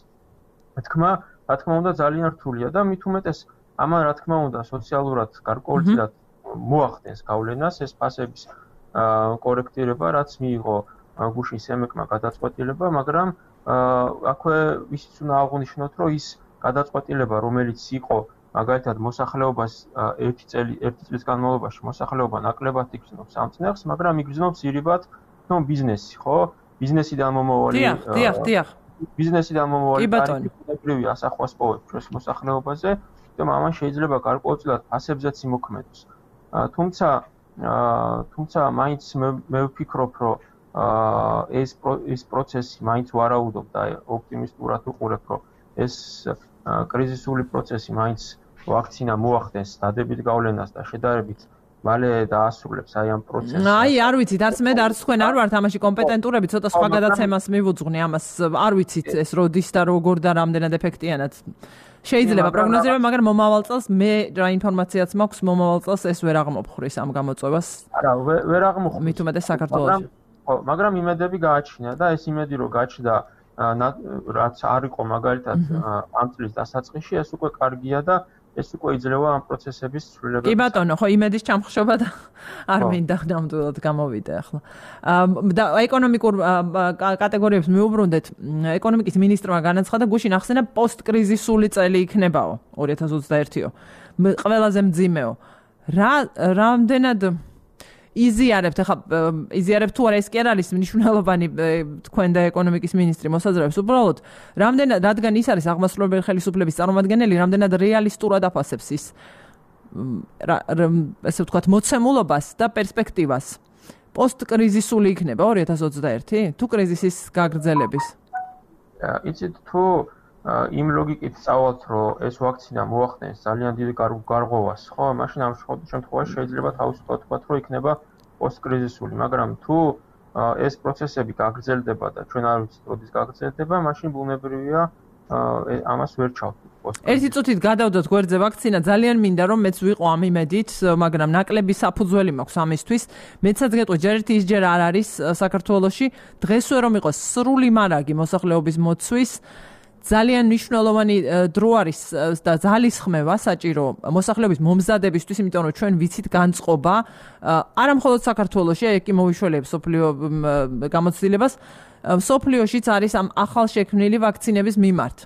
თქმა, რა თქმა უნდა, ძალიან რთულია და მით უმეტეს ამან რა თქმა უნდა სოციალურად გარკვეულწილად მოახდენს გავლენას ეს ფასების კორექტირება, რაც მიიღო გუშინ სემეკმა გადაწყვეტილება, მაგრამ აქვე ისიც უნდა აღვნიშნოთ, რომ ის გადაწყვეტილება, რომელიც იყო მაგალითად მოსახლეობას ერთი წლის განმავლობაში მოსახლეობა ნაკლებად იგრძნობს ამ წნეხს, მაგრამ იგრძნობს ირიბად ბიზნესი, ხო? ბიზნესიდან მომავალი დიახ. ბიზნესიდან მომავალი ტარიფები ასახვას პოვებს ჩვენს მოსახლეობაზე, თუმცა ამან შეიძლება გარკვეულწილად ფასებზეც იმოქმედოს. თუმცა მაინც მე ვფიქრობ, რომ ეს პროცესი მაინც ვარაუდობ და ოპტიმისტურად ვუყურებ, რომ ეს კრიზისული პროცესი მაინც ვაქცინა მოახდენს დადებით გავლენას და შედარებით მალე დაასრულებს აი ამ პროცესს. არ ვიცით, არც მე და არც თქვენ არ ვართ ამაში კომპეტენტურები, ცოტა სხვა გადაცემას მივუძღვნი ამას. არ ვიცით ეს როდის და როგორ და რამდენად ეფექტიანად. შეიძლება პროგნოზირება, მაგრამ მომავალ წელს მე რა ინფორმაციაც მაქვს, მომავალ წელს ეს ვერ აღმოფხრის ამ გამოწვევას. არა, ვერ აღმოფხრის. მით უმეტეს საქართველოში. მაგრამ იმედები გააჩნია და ეს იმედი რომ გაჩნდა რაც არ იყო მაგალითად ამ წლის დასაწყისში, ეს უკვე კარგია და ეს უკვე იძლევა ამ პროცესების ცვლილებას. კი ბატონო, ხო იმედის ჩამხშობა და არ მინდა ნამდვილად გამოვიდე ახლა. და ეკონომიკურ კატეგორიებს მივუბრუნდეთ. ეკონომიკის მინისტრმა განაცხადა, გუშინ ახსენა პოსტკრიზისული წელი იქნებაო 2021-ო. ყველაზე მძიმეო. რამდენად იზიარებთ თუ არა ეს კი არ არის მნიშვნელოვანი თქვენ და ეკონომიკის მინისტრი მოსაზრებს უბრალოდ რამდენად რადგან ის არის აღმასრულებელი ხელისუფლების წარმომადგენელი რამდენად რეალისტურად აფასებს ის ესე ვთქვათ მოცემულობას და პერსპექტივას პოსტკრიზისული იქნება 2021 თუ კრიზისის გაგრძელების იცით თუ იმ ლოგიკით წავალთ რომ ეს ვაქცინა მოახდენს ძალიან დიდი გარღვევას ხო მაშინ ამ შემთხვევაში შეიძლება თავისუფლად ვთქვათ რომ იქნება პოსტკრიზისული მაგრამ თუ ეს პროცესები გაგრძელდება და ჩვენ არ ვიცით როდის გაგრძელდება მაშინ ბუნებრივია ამას ვერ ჩავთვლით ერთი წუთით გადავდოთ გვერდზე ვაქცინა ძალიან მინდა რომ მეც ვიყო ამ იმედით მაგრამ ნაკლები საფუძველი მაქვს ამისთვის მეცაც გეტყვი ჯერ ერთი ისჯერ არ არის საქართველოში დღესვე რომ იყოს სრული მარაგი მოსახლეობის მოცვის ძალიან მნიშვნელოვანი დრო არის და ძალისხმევა საჭირო მოსახლეობის მომზადებისთვის, იმიტომ რომ ჩვენ ვიცით განწყობა არა მხოლოდ საქართველოში, აი კი მოვიშველებს სოფლიო გამოცდილებას, სოფლიოშიც არის ამ ახალშექმნილი ვაქცინების მიმართ.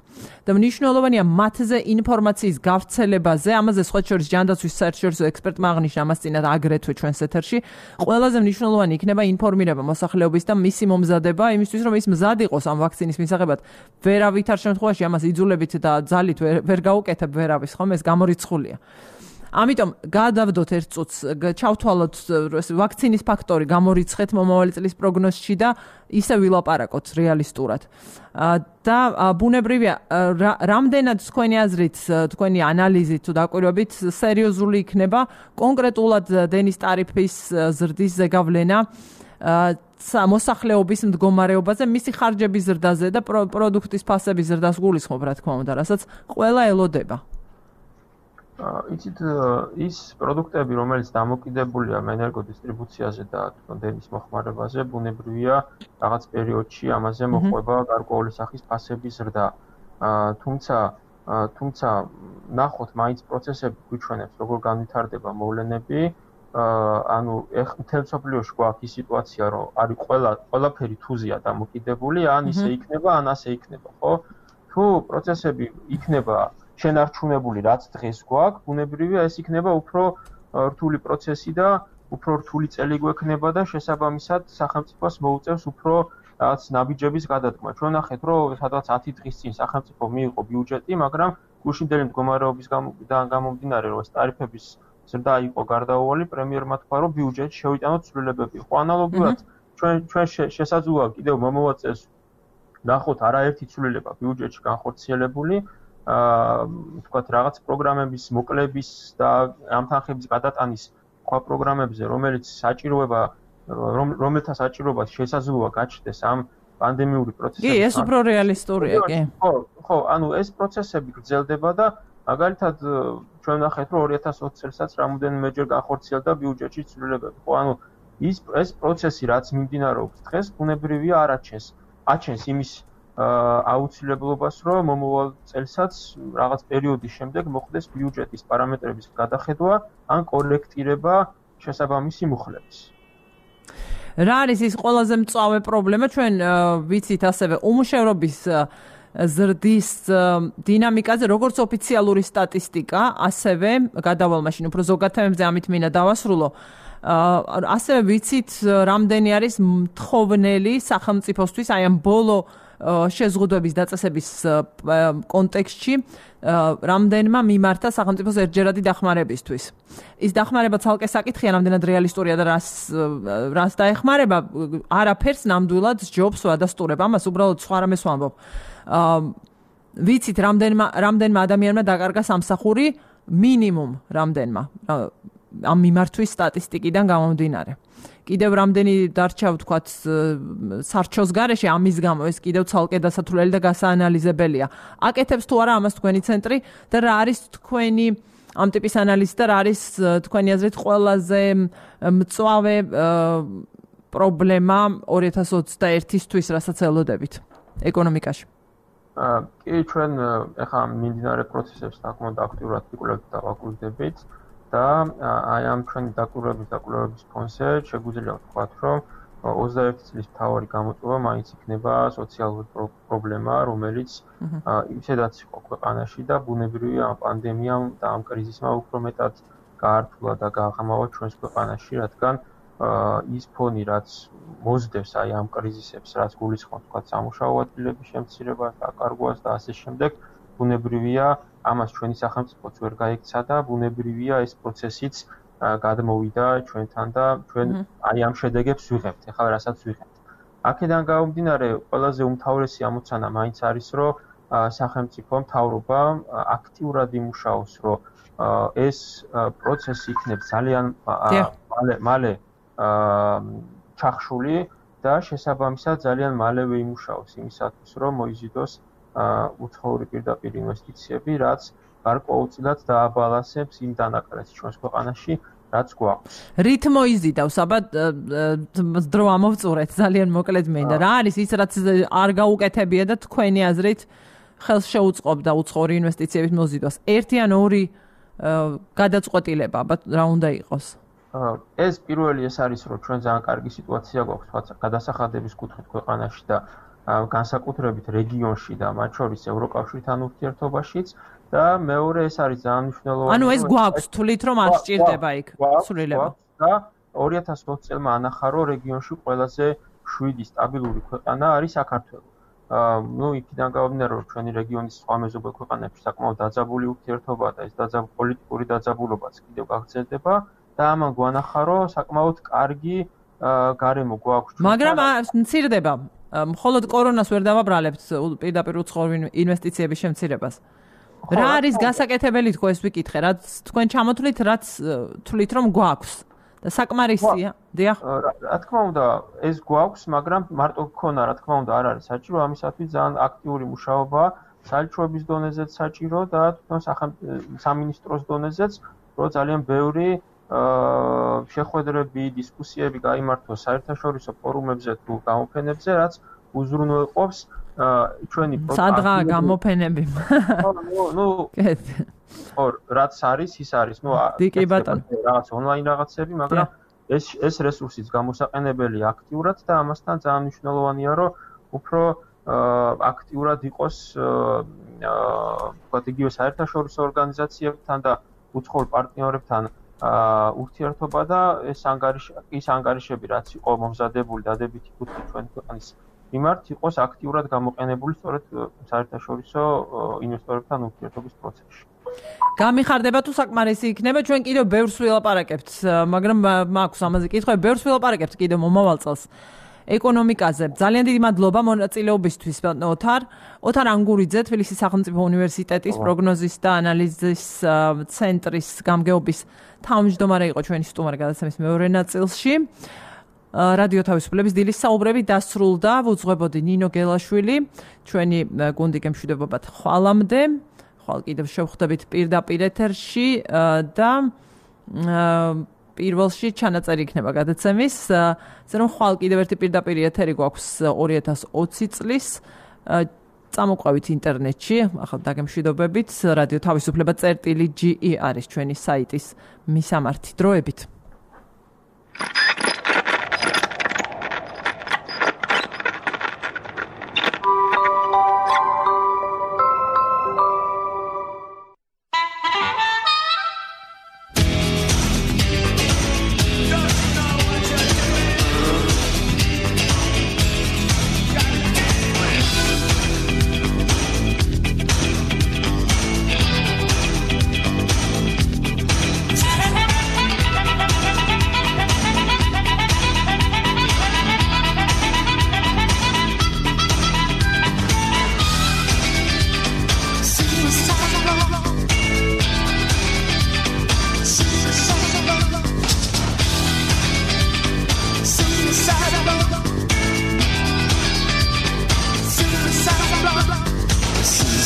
და მნიშვნელოვანია მათზე ინფორმაციის გავრცელებაზე, ამაზე სხვა შორის ჯანდაცვის საერთაშორისო ექსპერტმა აღნიშნა ამას წინათ აგრეთვე ჩვენს ეთერში. ყველაზე მნიშვნელოვანი იქნება ინფორმირება მოსახლეობის და მისი მომზადება, იმისთვის რომ ის მზად იყოს ამ ვაქცინის მისაღებად. ვერავითარ შემთხვევაში ამას იძულებით და ძალით ვერ გაუკეთებ ვერავის, ხომ ეს გამორიცხულია. ამიტომ გადავდოთ ერთ წუთს, ჩავთვალოთ ვაქცინის ფაქტორი, გამორიცხეთ მომავალი წლის პროგნოზში და ისე ვილაპარაკოთ რეალისტურად. და ბუნებრივია, რამდენად თქვენი აზრით, თქვენი ანალიზით თუ დაკვირვებით სერიოზული იქნება კონკრეტულად დენის ტარიფის ზრდის ზეგავლენა მოსახლეობის მდგომარეობაზე, მისი ხარჯების ზრდაზე და პროდუქტის ფასების ზრდას გულისხმობ, რა თქმა უნდა, რასაც ყველა ელოდება. იცით ის პროდუქტები, რომელიც დამოკიდებულია ენერგოდისტრიბუციაზე და დენის მოხმარებაზე, ბუნებრივია რაღაც პერიოდში ამაზე მოყვება გარკვეული სახის ფასების ზრდა. თუმცა ნახოთ მაინც პროცესები გვიჩვენებს, როგორ განვითარდება მოვლენები. ანუ მთელ მსოფლიოში გვაქვს ის სიტუაცია, რომ არის ყველაფერი თუზია დამოკიდებული, ან ისე იქნება, ან ასე იქნება, ხო? თუ პროცესები იქნება შენარჩუნებული რაც დღეს გვაქვს, ბუნებრივია ეს იქნება უფრო რთული პროცესი და უფრო რთული წელი გვექნება და შესაბამისად სახელმწიფოს მოუწევს უფრო რაღაც ნაბიჯების გადადგმა. ჩვენ ნახეთ, რომ სადღაც 10 დღის წინ სახელმწიფო მიიღო ბიუჯეტი, მაგრამ გუშინდელი მდგომარეობისგან გამომდინარე, რომ ეს ტარიფების ზრდა იყო გარდაუვალი, პრემიერმა თქვა, რომ ბიუჯეტში შევიტანოთ ცვლილებები. ხო, ანალოგიურად ჩვენ შესაძლოა კიდევ მომავალ წელს ნახოთ არაერთი ცვლილება ბიუჯეტში განხორციელებული. თქვათ რაღაც პროგრამების მოკლების და ამ თანხების გადატანის სხვა პროგრამებზე, რომელთა საჭიროებას შესაძლოა გაჩნდეს ამ პანდემიური პროცესების. კი, ეს უფრო რეალისტურია, კი. ხო, ანუ ეს პროცესები გრძელდება და მაგალითად ჩვენ ნახეთ, რომ 2020 წელსაც რამოდენიმეჯერ განხორციელდა ბიუჯეტში ცვლილებები. ხო, ანუ ეს პროცესი რაც მიმდინარეობს დღეს, ბუნებრივია აჩენს იმის აუცილებლობას, რომ მომავალ წელსაც რაღაც პერიოდის შემდეგ მოხდეს ბიუჯეტის პარამეტრების გადახედვა ან კორექტირება შესაბამისი მუხლების. რა არის ის ყველაზე მწვავე პრობლემა ჩვენ ვიცით ასევე უმუშევრობის ზრდის დინამიკაზე როგორც ოფიციალური სტატისტიკა ასევე გადავალ მაშინ უფრო ზოგად თემებზე ამით მინდა დავასრულო ასევე ვიცით რამდენი არის მთხოვნელი სახელმწიფოსთვის აი ამ ბოლო შეზღუდვების დაწესების კონტექსტში რამდენმა მიმართა სახელმწიფოს ერთჯერადი დახმარებისთვის. ის დახმარება ცალკე საკითხია, რამდენად რეალისტურია და რას დაეხმარება, არაფერს ნამდვილად ჯობს ვადასტურებ. ამას უბრალოდ სხვა რამეს ვამბობ. ვიცით რამდენმა ადამიანმა დაკარგა სამსახური მინიმუმ რამდენმა ამ მიმართვის სტატისტიკიდან გამომდინარე. კიდევ რამდენი დარჩა ვთქვათ სარჩოს გარეშე ამის გამო ეს კიდევ ცალკე დასათვლელი და გასაანალიზებელია. აკეთებს თუ არა ამას თქვენი ცენტრი და რა არის თქვენი ამ ტიპის ანალიზი და რა არის თქვენი აზრით ყველაზე მწვავე პრობლემა 2021-თვის, რასაც ელოდებით ეკონომიკაში? კი, ჩვენ ახლა მიმდინარე პროცესებს საკმაოდ აქტიურად ვიკვლევთ და ვაკურდებით. და აი ამ ჩვენი დაკვირვების ფონზე შეგვიძლია ვთქვათ, რომ 21 წლის მთავარი გამოწვევა მაინც იქნება სოციალური პრობლემა, რომელიც ისედაც იყო ქვეყანაში და ბუნებრივია ამ პანდემიამ და ამ კრიზისმა უფრო მეტად გაართულა და გააღამავა ჩვენს ქვეყანაში, რადგან ის ფონი, რაც მოსდევს აი ამ კრიზისებს, რაც გულისხმობს ვთქვათ სამუშაო ადგილების შემცირებას, დაკარგვას და ასე შემდეგ, ბუნებრივია ამას ჩვენი სახელმწიფოც ვერ გაიქცა და ბუნებრივია ეს პროცესიც გადმოვიდა ჩვენთან და ჩვენ აი ამ შედეგებს ვიღებთ, ახლა რასაც ვიღებთ. აქედან გამომდინარე, ყველაზე უმთავრესი ამოცანა მაინც არის, რომ სახელმწიფო მთავრობა აქტიურად იმუშაოს, რომ ეს პროცესი იქნებს ძალიან მალე ჩახშული და შესაბამისად ძალიან მალევე იმუშაოს იმისათვის, რომ მოიზიდოს უცხოური პირდაპირ ინვესტიციები, რაც გარკვეულწილად დააბალანსებს იმ დანაკლებს ჩვენს ქვეყანაში, რაც გვაქვს. რით მოიზიდავს, აბა დრო ამოვწურეთ, ძალიან მოკლედ მინდა. რა არის ის, რაც არ გაუკეთებია და თქვენი აზრით ხელს შეუწყობდა უცხოური ინვესტიციების მოზიდვას? ერთი ან ორი გადაწყვეტილება, აბა რა უნდა იყოს? ეს პირველი ეს არის, რომ ჩვენ ძალიან კარგი სიტუაცია გვაქვს გადასახადების კუთხით ქვეყანაში და განსაკუთრებით რეგიონში და მათ შორის ევროკავშირთან ურთიერთობაშიც და მეორე ეს არის ძალიან მნიშვნელოვანი. ანუ ეს გვაქვს, თვლით რომ არ სჭირდება იქ სრულება. და 2020 წელმა ანახა, რომ რეგიონში ყველაზე 7 სტაბილური ქვეყანა არის საქართველო. ნუ იქიდან გამომდინარე, რომ ჩვენი რეგიონის სხვა მეზობელ ქვეყანებში საკმაოდ დაძაბული ურთიერთობაა და ეს პოლიტიკური დაძაბულობაც კიდევ გაგრძელდება და ამან გვანახა, რომ საკმაოდ კარგი გარემო გვაქვს. მაგრამ მცირდება მხოლოდ კორონას ვერ დავაბრალებთ პირდაპირ უცხოური ინვესტიციების შემცირებას. რა არის გასაკეთებელი თქო ეს ვიკითხე, რაც თქვენ ჩამოთვლით, რაც თვლით რომ გვაქვს და საკმარისია? დიახ. რა თქმა უნდა, ეს გვაქვს, მაგრამ მარტო გქონა, რა თქმა უნდა, არ არის საჭირო, ამისათვის ძალიან აქტიური მუშაობა საელჩოების დონეზეც საჭირო და თვითონ სამინისტროს დონეზეც, რომ ძალიან ბევრი შეხვედრები, დისკუსიები გაიმართოს საერთაშორისო ფორუმებზე თუ გამოფენებზე, რაც უზრუნველყოფს ჩვენი სადღა გამოფენები. ნუ რაც არის, ის არის. ნუ რაღაც ონლაინ რაღაცები, მაგრამ ეს რესურსიც გამოსაყენებელი აქტიურად და ამასთან ძალიან მნიშვნელოვანია, რომ უფრო აქტიურად იყოს ვთქვათ, იგივე საერთაშორისო ორგანიზაციებთან და უცხოურ პარტნიორებთან ურთიერთობა და ის ანგარიშები, რაც იყო მომზადებული დადებითი კუთხით ჩვენი ქვეყნის მიმართ, იყოს აქტიურად გამოყენებული სწორედ საერთაშორისო ინვესტორებთან ურთიერთობის პროცესში. გამიხარდება თუ საკმარისი იქნება, ჩვენ კიდევ ბევრს ვილაპარაკებთ, მაგრამ მაქვს ამაზე კითხვები, ბევრს ვილაპარაკებთ კიდევ მომავალ წელს. ეკონომიკაზე. ძალიან დიდი მადლობა მონაწილეობისთვის, ოთარ. ოთარ ანგურიძე, თბილისის სახელმწიფო უნივერსიტეტის პროგნოზის და ანალიზის ცენტრის გამგეობის თავმჯდომარე იყო ჩვენი სტუმარი გადაცემის მეორე ნაწილში. რადიო თავისუფლების დილის საუბრები დასრულდა, ვუძღვებოდი ნინო გელაშვილი, ჩვენი გუნდი გემშვიდობებათ ხვალამდე. ხვალ კიდევ შევხვდებით პირდაპირ ეთერში და პირველში ჩანაწერი იქნება გადაცემის, ზრუნ ხვალ კიდევ ერთი პირდაპირ ეთერი გვაქვს 2020 წლის. წამოყვებით ინტერნეტში, ახლა დაგემშვიდობებით, რადიო თავისუფლება.ge არის ჩვენი საიტის მისამართი. დროებით.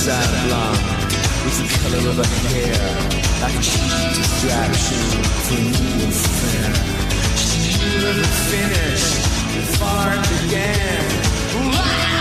sad blonde with the color of her hair, like a cheap distraction for a new affair. She never finished before it began.